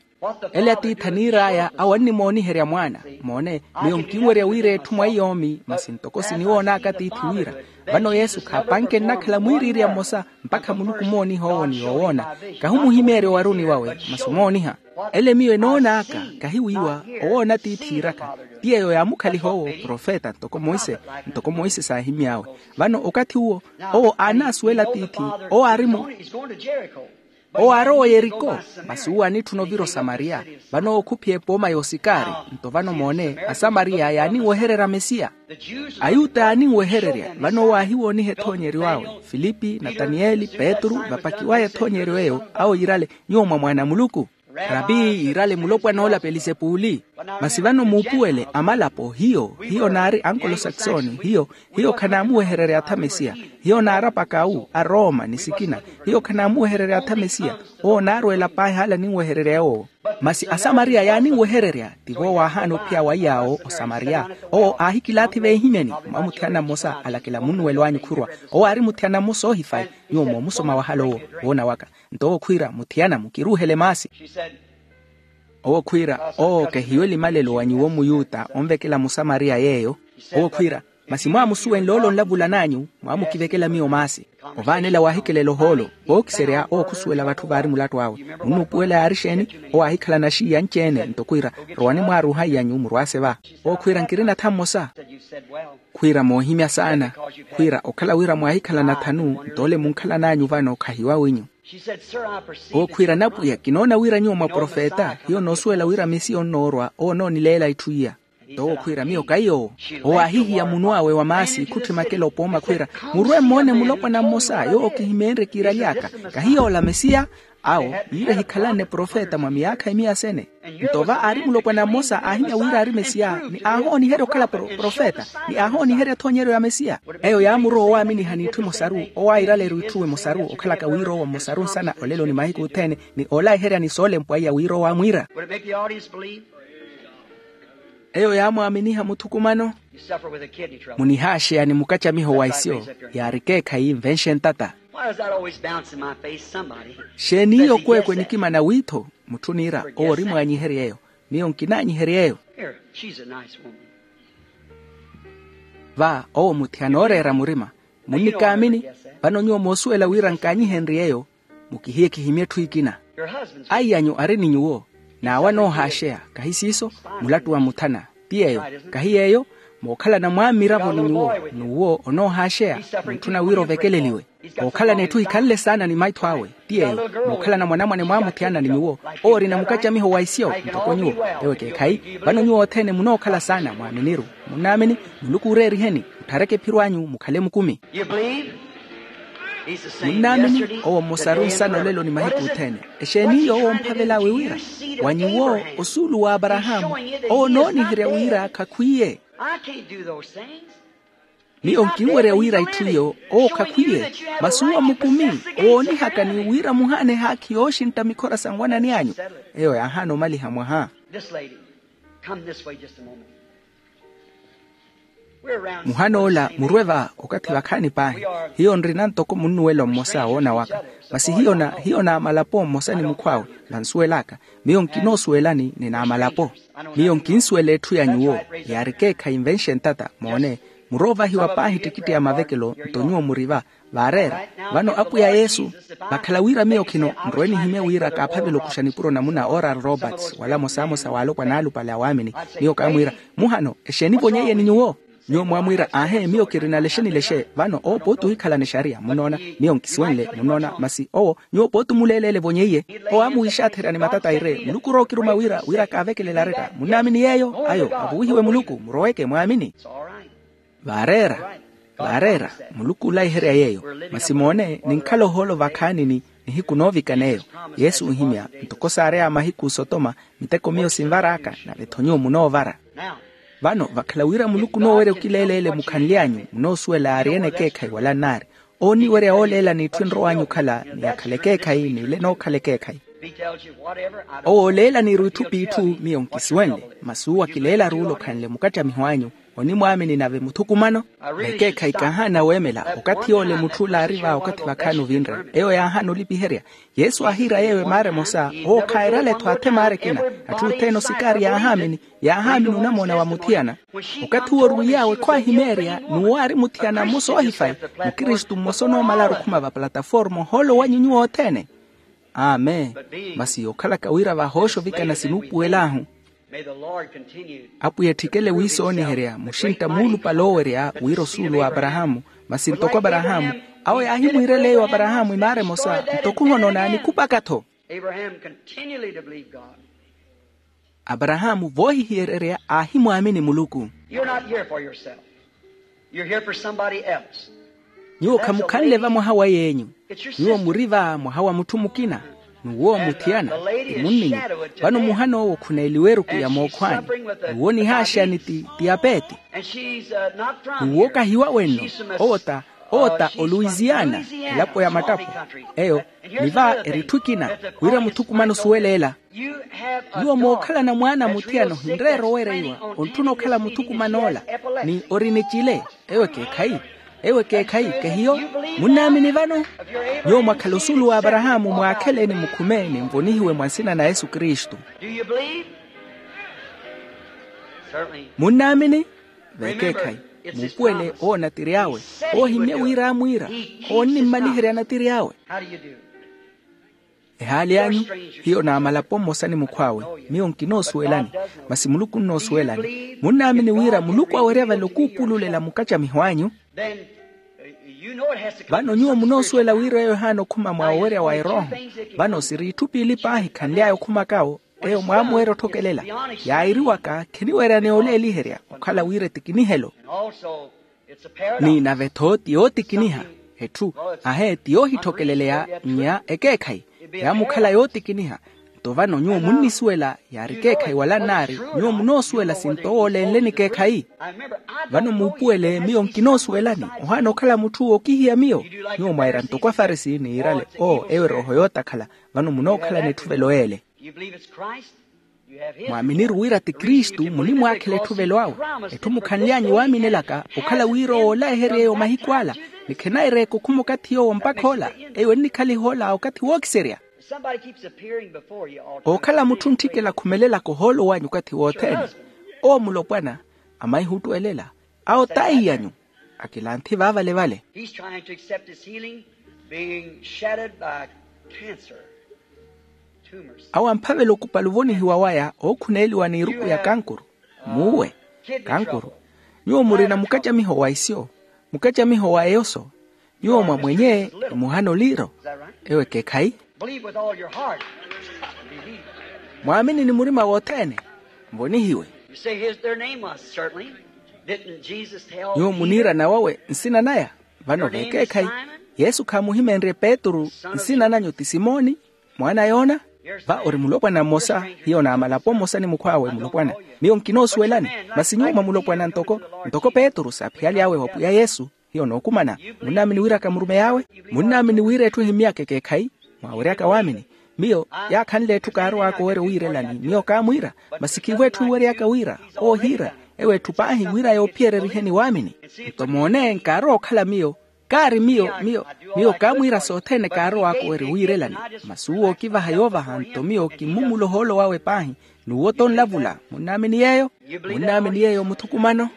Ele atiithi aniir'aya awo annimooniherya mwaana. Moone, miyo nkinwerya wira etthu mwa iyoomi masi ntoko siniwoon'aka atiithi wira vano yesu khaapanke nnakhala mwiiriirya mmosa mpakha muluku omooniha owo ni yoowoona. Kahi omuhimeerya owaruni wawe masi omooniha. Ele miyo enoon'aka kahi wiiwa owoona atiithi iiraka. Ti eyo yaamukhaliha owo profeta ntoko monse ntoko monse saahimy'awe. Vano okathi uwo owo aanasuwela atiithi owo aari mu owo aarowa oyeriko. Masi uwo anitthuna ovira osamariya. Vano owo khuphiya epooma y'osikari. Nto vano moone asamariya yaaninwehererya mesiya. Ayuta yaaninwehererya vano owo aahiwooniha ethoonyeryo awe. Filipi nataniyeli petru vapakiwaya ethoonyeryo eyo awo yiirale nyuwo mwa mwaana a muluku. Rapi yiirale mulopwan'ola pelisepuli. Masi vano muupuwele amalapo hiyo hiyo naari ankolosaksoni hiyo hiyo khanaamuwehererya atha mesiya. Hiyo naari apakawu arooma ni sikina hiyo khanaamuwehererya atha mesiya. Owo naarweela paahi ale aninwehererya yoowo. Masi asamariya yaaninwehererya tivo waahaana ophiya wa iyaawo osamariya. Owo aahikilaathi veehimyani mwa muthiyana mmosa alakela munnuwelo anyu khurwa. Owo aari muthiyana mmosa oohifayi. Nyuwo moomusoma wahala owo woona waka. Nto owo khwiira muthiyana-mu kiruuhele maasi. Owo khwiira oo kehiyo elimalelo wa nyuwo muyuta onvekela musamariya yeeyo. Owo khwiira masi mwaamusuwenle ole onlavulan'anyu mwaamukivekela miyo maasi. Ovaanela waahikelela ohoolo vookiserya owo khusuwela vatthu vaari mulattu awe. Munnuupuwela yaari exeeni? Owo aahikhalana axiiya anci-ene nto khwiira rowani mwaaruuha iy'anyu murwaase va. Owo khwiira nkirina tha mmosa. Khwiira moohimya saana. Khwiira okhala wira mwaahikhalana thanu nto ole munkhalan'anyu vano khahiwaw'inyu. Owo khwiira napwiya kinoona wira nyuwo mwa profeta hiyo noosuwela wira mesiya onnoorwa owo onoonileela itthu iya. Nto owo khwiira miyo kahi yoowo. Owo aahihiya munw'awe wa maasi khutthi makela opooma khwiira murwe mmoone mulopwana mmosa yoowo kihimeenrye kiiraly'aka. Kahi yoola mesiya. Awo yiira ehikhalanne profeta mwa miyaakha emiya sene. Nto va aari mulopwana mmosa aahimya wira aari mesiya ni aahooniherya okhala profeta ni aahooniherya ethoonyeryo ya mesiya. Eyo yaamurowa owaaminiha n'itthu emosaru owo aayiraleru itthu emosaru okhalaka wira owo mmosaru nsana olelo ni mahiku othene ni oolayiheryani soolempwa iya wira owo aamwiira. Eyo yaamwaaminiha muthukumano. Munihaaxeya ni mukacamiho wa isyo yaari ekeekhayi nvenxe ntata. Xeeni iyo kweekwe nikimana wiitho mutthu oniira owo ori mwaanyihery'eyo. Miyo nkinaanyihery'eyo. Va owo muthiyana ooreera murima munnikaamini. Vano nyuwo moosuwela wira nkaanyihenry'eyo. Mukihiye kihimye etthu ekina. Aiy'anyu ari ni nyuwo n'awo anoohaaxeya kahi siiso. Mulattu wa muthana ti yeeyo. Kahi yeeyo mookhalana mwammiravo ni nyuwo n'uwo onoohaaxeya muntthuna wira ovekeleliwe. Ookhalana etthu ehikhanle saana ni maitho awe ti yeeyo mookhalana mwanamwane mwaamuthiyana ni nyuwo owo orina mukacamiho wa isyo ntoko nyuwo. Ewo ekeekhayi vano nyuwo othene munookhala saana mwaaminiru. Munnaamini? Muluku ooreeriheni muthareke ephiro anyu mukhale mukumi. Munnaamini? Owo mmosaru nsana olelo ni mahiku othene. Exeeni iyo owo omphavel'awe wira wa nyuwo osuulu w'aparahaamu owo onooniherya wira khakhwiiye. Miyo nkinwerya wira itthu iyo owo khakhwiiye. Masi uwo mukumi owoonihaka ni wira muhaana ehaakhi yooxintta mikhora sa nwanani anyu. Eyo yaahaana omaliha mwaha. Muhan'ola murwe va okathi vakhaani paahi. Hiyo nrina ntoko munnuwelo mmosa woona waka. Masi hiyo na hiyo naamalapo mmosa ni mukhw'awe vansuwel'aka. Miyo nkinoosuwelani ni naamalapo. Miyo nkinsuwela etthu ya nyuwo yaari ekeekhayi nvenxe ntata moone. Muroovahiwa paahi ettikitti ya mavekelo nto nyuwo muri va. Vaareera vano apwiya yesu. Vakhala wira miyo khino nrowe nihimye wira kaaphavela okuxa nipuro na muna oral roberts wala mosamosa waalopwa n'alupale a waamini. Miyo kaamwiira muhano exeeni vonyeiye ni nyuwo? Nyuwo mwaamwiira aahe miyo kirina lexe ni lexe. Vano owo pooti ohikhalana exariya munoona. Miyo nkisuwenle munoona masi owo nyuwo pooti omuleeleele vonyeiye. Owo aamuwiixaatherya ni matata aire muluku rookiruma wira wira kaavekelele aretta munnaamini yeeyo ayo avuwihiwe muluku muroweke mwaamini. Vaareera vaareera. Muluku oolayiherya yeeyo. Masi moone ninkhala ohoolo vakhaanini nihiku noovikana eyo. Yesu oohimya ntoko saareya mahiku sotoma miteko miyo sinvar'aka nave-tho nyuwo munoovara. Vano vakhala wira muluku onoowerya okileeleele mukhanly'anyu munoosuwela yaari-ene ekeekhayi wala nnaari. Ooniwerya ooleela n'itthu enrow'anyu okhala ni yakhala ekeekhayi n'ile enookhala ekeekhayi. Owo ooleela n'iru itthu p'itthu miyo nkisuwenle masi uwo akileelaru ole okhanle mukattamiho anyu. Onimwaamini nave muthukumano. Vekeekhayi kaahaana weemela okathi yoole mutth'ule aari va okathi vakhaani ovinre. Eyo yaahaana olipiherya. Yesu aahiira yeeyo emaara emosa. Owo khaayerale-tho athe emaara ekina. Atthu othene osikaari yaahaamini. Yaahaamini onamoona wa muthiyana. Okathi uwo orwiiy'awe khwaahimeerya n'uwo aari muthiyana mmosa oohifayi. Mukristu mmosa onoomala arukhuma va plataforma ohoolo wanyu nyuwo othene. Amen. Masi yookhalaka wira vahooxa ovikana sinuupuwel'ahu. Apwiya etthikele wiisooniherya muxintta muulupale oowerya wira osuulu w'aparahaamu. Masi ntoko aparahaamu, awo yaahimwiirela eyo aparahaamu emaara emosa ntoko ohonoona nikupaka-tho. Aparahaamu voohihiyererya aahimwaamini muluku. You're not here for yourself. You're here for somebody else. Nyuwo khamukhanle va mwaha wa yeenyu. Nyuwo muri va mwaha wa mutthu mukina. N'uwo muthiyana ti munninyu. Vano muhan'owo khuneeliwa eruku ya mookhwani. N'uwo nihaaxani ti tiyapeeti. N'uwo kahiwa wenno. Owo ta owo ta oluisiana. Elapo ya mattapo. Eyo ni va eri etthu ekina. Wira muthukumano osuwele ela. Nyuwo mookhalana mwaana muthiyana ohinreera owereiwa. Ontthuna okhala muthukuman'ola ni ori ni cile. Eyo ekeekhayi. Eyo ekeekhayi kehiyo. Munnaamini vano? Nyuwo mwakhala osuulu w'aparahaamu mwaakhele ni mukhume ni mvonihiwe mwa nsina na yesu kristu. Munnaamini? Vekeekhayi. Muupuwele owo natiri awe. Owo ohimmye wira aamwiira. Owo onnimmaliherya natiri awe. Ehaali anyu, hiyo naamalapo mmosa ni mukhw'awe. Miyo nkinoosuwelani. Masi muluku onnoosuwelani. Munnaamini wira muluku awerya vale okuupululela mukacamiho anyu? Vano nyuwo munoosuwela wira eyo ehaana okhuma mwa owerya wa erooho. Vano siri itthu piili paahi khanly'aya okhumaka awo. Eyo mwaamuwerya otthokelela. Yairiwaka khiniwerya ni oleeliherya okhala wira etikinihelo. Ni nave-tho ti yootikiniha. Etthu ahe ti yoohitthokeleleya nnya ekeekhayi. Yaamukhala yootikiniha. Nto vano nyuwo munnisuwela yaari ekeekhayi wala nnaari. Nyuwo munoosuwela sinto owo oleenleni ekeekhayi. Vano muupuwele miyo nkinoosuwelani. Ohaana okhala mutthu ookihiya miyo. Nyuwo mwaira ntoko afarisi niirale oo eyo erooho yootakhala. Vano munookhalana etthuvelo yeele. Mwaaminiru wira ti kristu munimwaakhela etthuvelo awe. Etthu mukhanly'anyu waaminelaka okhala wira owo olayehery'eyo mahiku ala. Ni khenayireeka okhuma okathi yoowo mpakha ola. Eyo ennikhaliha ola okathi wookiserya. Ookhala mutthu ntthikela akhumelelaka ohoolo wanyu okathi wothene. Owo mulopwana amaiha ottwelela. Awo t'aiy'anyu. Akilanthi vaavale-vale. Awo amphavela okupala ovonihiwa waya ookhuneeliwa n'iruku ya kankuru. Muuwe. Kankuru. Nyuwo murina mukacamiho wa isyo. Mukacamiho wa eyoso. Nyuwo mwamwenye. Emuhana oliiro. Ewo ekeekhayi. Mwaamini ni murima wothene. Mvonihiwe. Nyuwo muniirana wawe nsina naya. Vano vekeekhayi. Yesu khaamuhimeenrye petru. Nsina nanyu ti simoni. Mwaana a yoona. Va ori mulopwana mmosa. Hiyo naamalapo mmosa ni mukhw'awe mulopwana. Miyo nkinoosuwelani. Masi nyuwo mwa mulopwana ntoko ntoko petru saaphiyalyawe wa pwiya yesu. Hiyo nookumana. Munnaamini wira kamurumeyi awe? Munnaamini wira etthu ehimmyaka ekeekhayi? Mwaaweryaka waamini. Miyo yaakhanle etthu kaarow'aka owerya owiirelani miyo kaamwiira. Masi khiivo etthu iweryaka wira oohiira. Ewo etthu paahi wira yoophiyereriheni waamini. Nto moone nkaarowa okhala miyo. Kaari miyo miyo. Miyo kaamwiira sothene kaarow'aka owerya owiirelani. Masi uwo okivaha yoovaha nto miyo kimmumula ohoolo wawe paahi. N'uwo tonlavula. Munnaamini yeeyo? Munnaamini yeeyo muthukumano?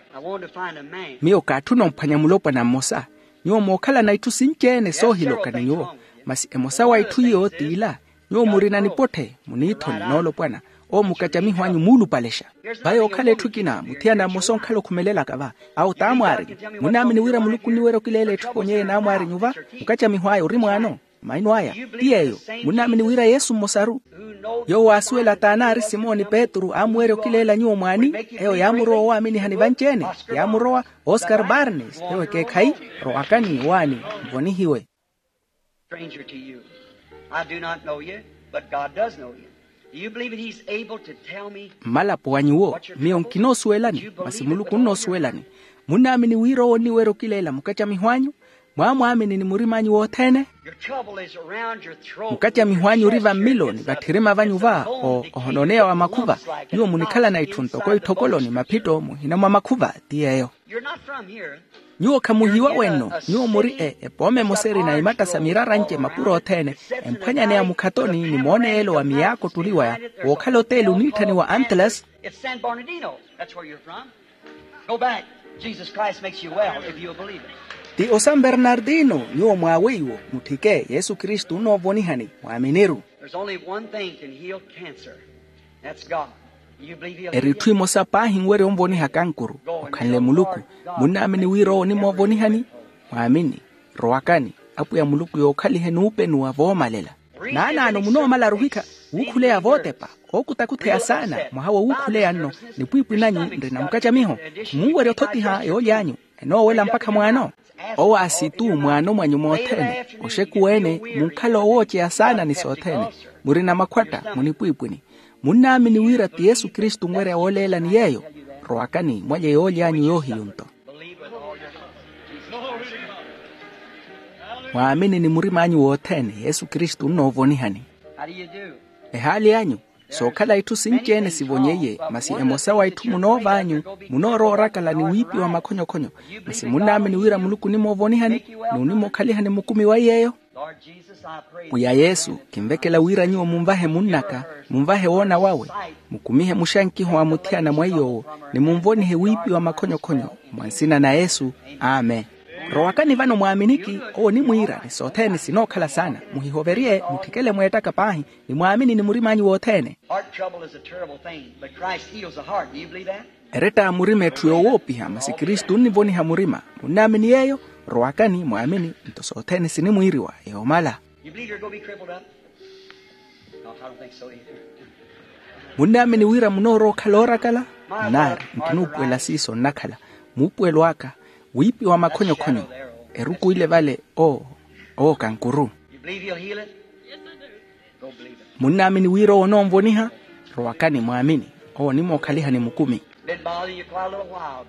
Miyo kaatthuna omphwanya mulopwana mmosa. Nyuwo mookhalana itthu sinci-ene soohiloka ni nyuwo. Masi emosa wa itthu iyo t'ila. Nyuwo murina nipotthe muniithoni n'olopwana. Owo mukacamiho anyu muulupalexa. Va yookhala etthu ekina muthiyana mmosa onkhala okhumelelaka va. Awo t'amwaarinyu. Munnaamini wira muluku onniwerya okileela etthu eponyeye n'amwaarinyu va? Mukacamiho aya ori mwaano. Maino aya. Ti yeeyo. Munnaamini wira yesu mmosaru. Yoowo aasuwela t'anaari simoni petru aamuwerya okileela nyuwo mwaani. Eyo yaamurowa owaaminiha ni vanci-ene. Yaamurowa. Oskar barnes ewo ekeekhayi. Rowakani waani. Mvonihiwe. Stranger to you. I do not know you, but God does know you. Do you believe that he's able to tell me? Mmalapo wa nyuwo miyo nkinoosuwelani. Masi muluku onnoosuwelani. Munnaamini wira owo onniwerya okileela mukacamiho anyu? Mwaamwaamini ni murim'anyu wothene. Mukacamiho anyu ori vammilo ni vatthirima vanyu va ohononeya wa makhuva. Nyuwo munikhalana itthu ntoko itthokolo ni maphitto muhina mwa makhuva. Ti yeeyo. Nyuwo khamuhiwa wenno. Nyuwo muri epooma emosa erina imatta sa mirara nce mapuro othene, emphwanyaneya mukhatoni ni mooneyeelo wa miyaakottuliwaya wookhala oteeli oniitthaniwa antelas. Go back. Jesus Christ makes you well if you'll believe it. Ti osan bernardino. Nyuwo mwaawe iwo mutthike yesu kristu onnoovonihani mwaaminiru. There's only one thing can heal cancer. That's God. You believe he'll heal you? Eri itthu imosa paahi nwerya onvoniha kankuru. Okhanle muluku. Munnaamini wira owo onimoovonihani? Mwaamini. Rowakani. Apwiya muluku yookhalihe nuupenuwa voomalela. Naanaano munoomala aruhikha wuukhuleya vootepa. Ookutakutheya saana mwaha wo wuukhuleya nno. Nipwiipwi nanyu nrina mukacamiho. Munwerya othotiha yoolyanyu. Enoowela mpakha mwaano. Owo aasitu mwaano mwanyu moothene. Oxekuweene munkhala owooceya saana ni sothene. Murina makhwatta munipwiipwini. Munnaamini wira ti yesu kristu onwerya wooleelani yeeyo. Rowakani mwalye yoolyanyu yoohiyunto. Mwaamini ni murim'anyu wothene yesu kristu onnoovonihani. Ehaali anyu sookhala itthu sinci-ene sivonyeiye masi emosa wa itthu munoov'anyu. Munoorowa orakala ni wiipiwa makhonyokhonyo. Masi munnaamini wira muluku onimoovonihani ni onimookhalihani mukumi wa iy'eyo. Pwiya yesu kinvekela wira nyuwo munvahe munn'aka, munvahe woona wawe, mukumihe muxankiho wa muthiyana mwa iy'owo, ni munvonihe wiipiwa makhonyokhonyo. Mwa nsina na yesu. Amen. Rowakani vano mwaaminiki. Owo onimwiira ni sothene sinookhala saana. Muhihoverye mutthikele mweettaka paahi. Ni mwaamini ni murim'anyu wothene. Heart trouble is a terrible thing, but Christ heals the heart. Do you believe that? Eretta a murima etthu yoowoopiha masi kristu onnivoniha murima. Munnaamini yeeyo? Rowakani mwaamini. Nto sothene sinimwiiriwa yoomala. You believe you're going to be crippled up? No, I don't think so either. Munnaamini wira munoorowa okhala oorakala? Nnaari nkinuupuwela siiso nnakhala. Muupuwelo aka wiipiwa makhonyokhonyo. Eruku ile vale. Oo kankuru. You believe he'll heal it? Munnaamini wira owo onoonvoniha? Rowakani mwaamini. Owo onimookhalihani mukumi.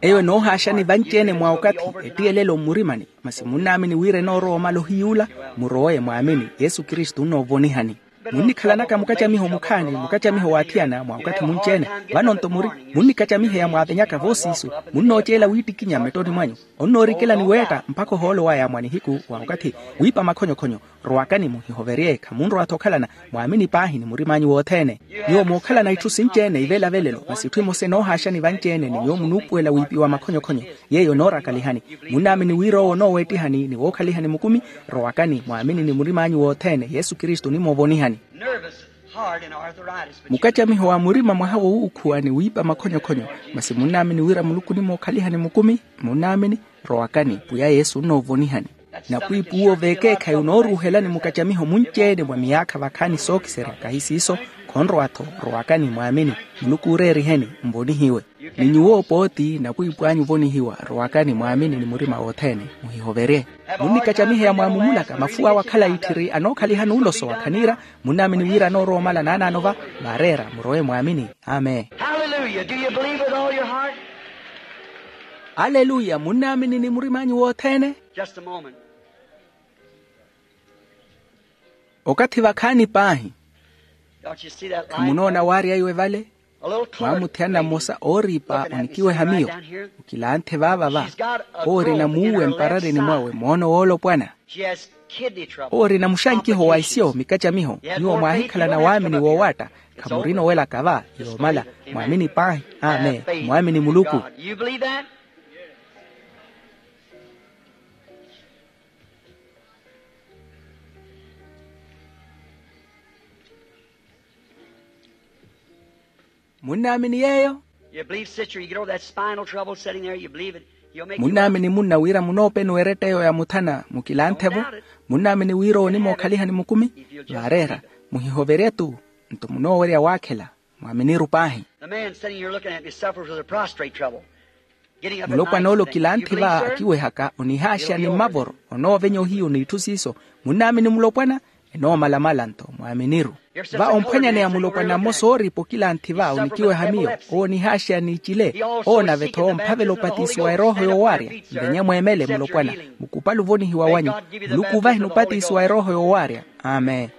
Eyo enoohaaxani vanci-ene mwa okathi. Ettiyelelo mmurimani. Masi munnaamini wira enoorowa omala ohiyuula? Murowe mwaamini. Yesu kristu onnoovonihani. Munnikhalanaka mukacamiho mukhaani mukacamiho waathiyana mwa okathi munci-ene. Vano-nto muri munnikacamiheya mwaavenyaka voosiisu. Munnooceela wiittikinya mmettoni mwanyu. Onnoorikela ni weetta mpakha ohoolo waya mwa nihiku wa okathi. Wiipa makhonyokhonyo. Rowakani muhihoverye khamunrowa-tho okhalana. Mwaamini paahi ni murim'anyu wothene. Nyuwo muukhalana itthu sinci-ene ivelavelelo masi itthu imosa enoohaaxani vanci-ene ni nyuwo munuupuwela wiipiwa makhonyokhonyo. Yeeyo enoorakalihani. Munnaamini wira owo onooweettihani ni wookhalihani mukumi. Rowakani mwaamini ni murim'anyu wothene yesu kristu onimoovonihani. Mukacamiho wa murima mwaha wo wuukhuwa ni wiipa makhonyokhonyo. Masi munnaamini wira muluku onimookhalihani mukumi? Munnaamini. Rowakani pwiya yesu onnoovonihani. Napwiipwi uwo veekeekhayi onooruuhelani mukacamiho munci-ene mwa miyaakha vakhaani sookiserya kahi siiso. Khonrowa-tho. Rowakani mwaamini. Muluku ooreeriheni. Nvonihiwe. Ni nyuwo pooti napwiipwi anyu ovonihiwa. Rowakani mwaamini ni murima wothene. Muhihoverye. Munnikacamiheya mwaamumulaka mafuwa awe akhala itthiri anookhalihani uloso wa khaniira. Munnaamini wira anoorowa omala naanaano va. Vaareera murowe mwaamini. Amen. Hallelujah. Do you believe with all your heart? Aleluya. Munnaamini ni murim'anyu wothene? Just a moment. Okathi vakhaani paahi. Khamunoona waarya iwe vale? Mwaamuthiyana mmosa ooriipa onikiweha miyo. Okilanthe vaava va. Owo orina muuwe mpararini mwawe moono woolopwana. Owo orina muxankiho wa isyo mikacamiho. Nyuwo mwaahikhalana waamini woowaatta. Khamurina owelaka va. Yoomala. Mwaamini paahi. Amen. Mwaamini muluku. Munnaamini yeeyo? Munnaamini munna wira munoopenuwa eretta eyo yamuthana mukilanthe-vo? Munnaamini wira owo onimookhalihani mukumi? Vaareera. Muhihoverye-tu. Nto munoowerya waakhela. Mwaaminiru paahi. Mulopwana ole okilanthe va akiwehaka onihaaxa ni mmavoro onoovenya ohiyu n'itthu siiso. Munnaamini mulopwana? Enoomalamala-nto mwaaminiru. Va omphwanyaneya mulopwana mmosa ooripa okilanthi va onikiweha miyo, owo onihaaxeya n'icile. Owo nave-tho omphavela opatiso wa erooho yoowaarya. Nvenye mweemele mulopwana, mukupali ovonihiwa wanyu, muluku ovahini opatiso wa erooho yoowaarya. Amen.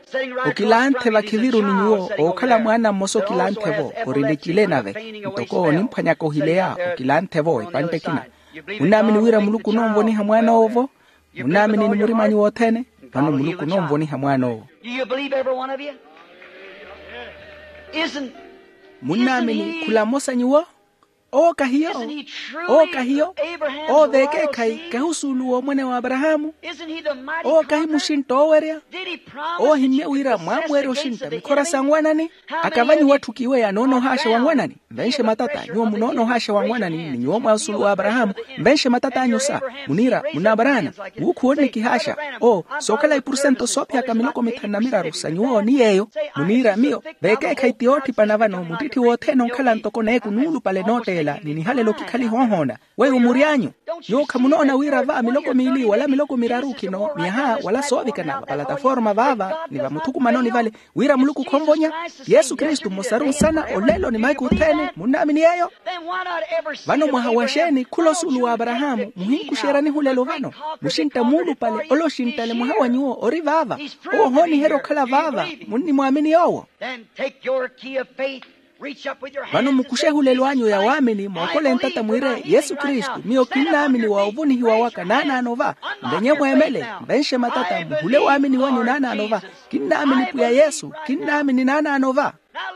Okilanthe vakhiviru ni nyuwo ookhala mwaana mmosa okilanthe-vo, ori n'ecile nave, ntoko onimphwanyaka ohileya. Okilanthe-vo epantte ekina. Munnaamini wira muluku ononvoniha mwaan'owo-vo? Munnaamini ni murim'anyu wothene? Vano muluku ononvoniha mwaan'owo. Munnaamini khula mmosa nyuwo? Owo kahiyo. Owo kahiyo. Owo veekeekhayi kahi osuulu w'omwene w'aparahaamu? Owo kahi muxintta oowerya? Owo ohimmye wira mwaamuwerya oxintta mikhora sa nwanani? Akavanyu watthu kiweya noonoohaaxa wa nwanani? Nvenxe matata nyuwo munoonoohaaxa wa nwanani ni nyuwo mwa osuulu w'aparahaamu. Nvenxe matat'anyu sa, muniira munaaparana, wuukhuwa onnikihaaxa. Oo sookhala ipursento soophiyaka miloko mithanu na miraru sa nyuwo ni yeeyo. Muniira miyo veekeekhayi ti ootthipana vano muttitthi wothene onkhala ntoko neeku nuulupale nootteela ni nihalelo kikhale ihoohoona. Weiwo mury'anyu, nyuwo khamunoona wira va miloko miili wala miloko miraru khino myaha wala soovikana vapalataforma vaava ni vamuthukumanoni vale, wira muluku khonvonya yesu kristu mmosaru nsana olelo ni mahiku othene munnaamini yeeyo? Vano mwaha wa xeeni khula osuulu w'aparahaamu muhinkuxeryani hulelo vano? Muxintta muulupale ole oxinttale mwaha wa nyuwo ori vaava. Owo ohooniherya okhala vaava. Munnimwaamini yoowo? Vano mukuxe ehulelo anyu ya waamini mookole ntata mwiire yesu kristu miyo kinnaamini wa ovonihiwa waka naanaano va. Nvenye mweemele, nvenxe matata muhule waamini wanyu naanaano va. Kinnaamini pwiya yesu, kinnaamini naanaano va.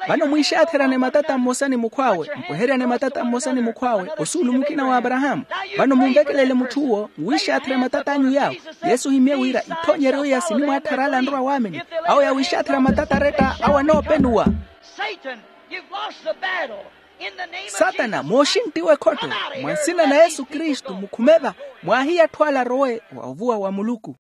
Vano mwiixaatherane matata mmosa ni mukhw'awe mpweheryane matata mmosa ni mukhw'awe osuulu mukina w'aparahaamu. Vano munvekelele mutth'uwo muwiixaathera matata anyu yaawo. Yesu ohimmye wira ithoonyeryo iya sinimwaattharala anrwa waamini. Awo yawiixaathera matata aretta awo anoopenuwa. Satana mooxinttiwa ekhotto, mwa nsina na yesu kristu mukhume va. Mwaahiye atthu ala arowe wa ovuwa wa muluku.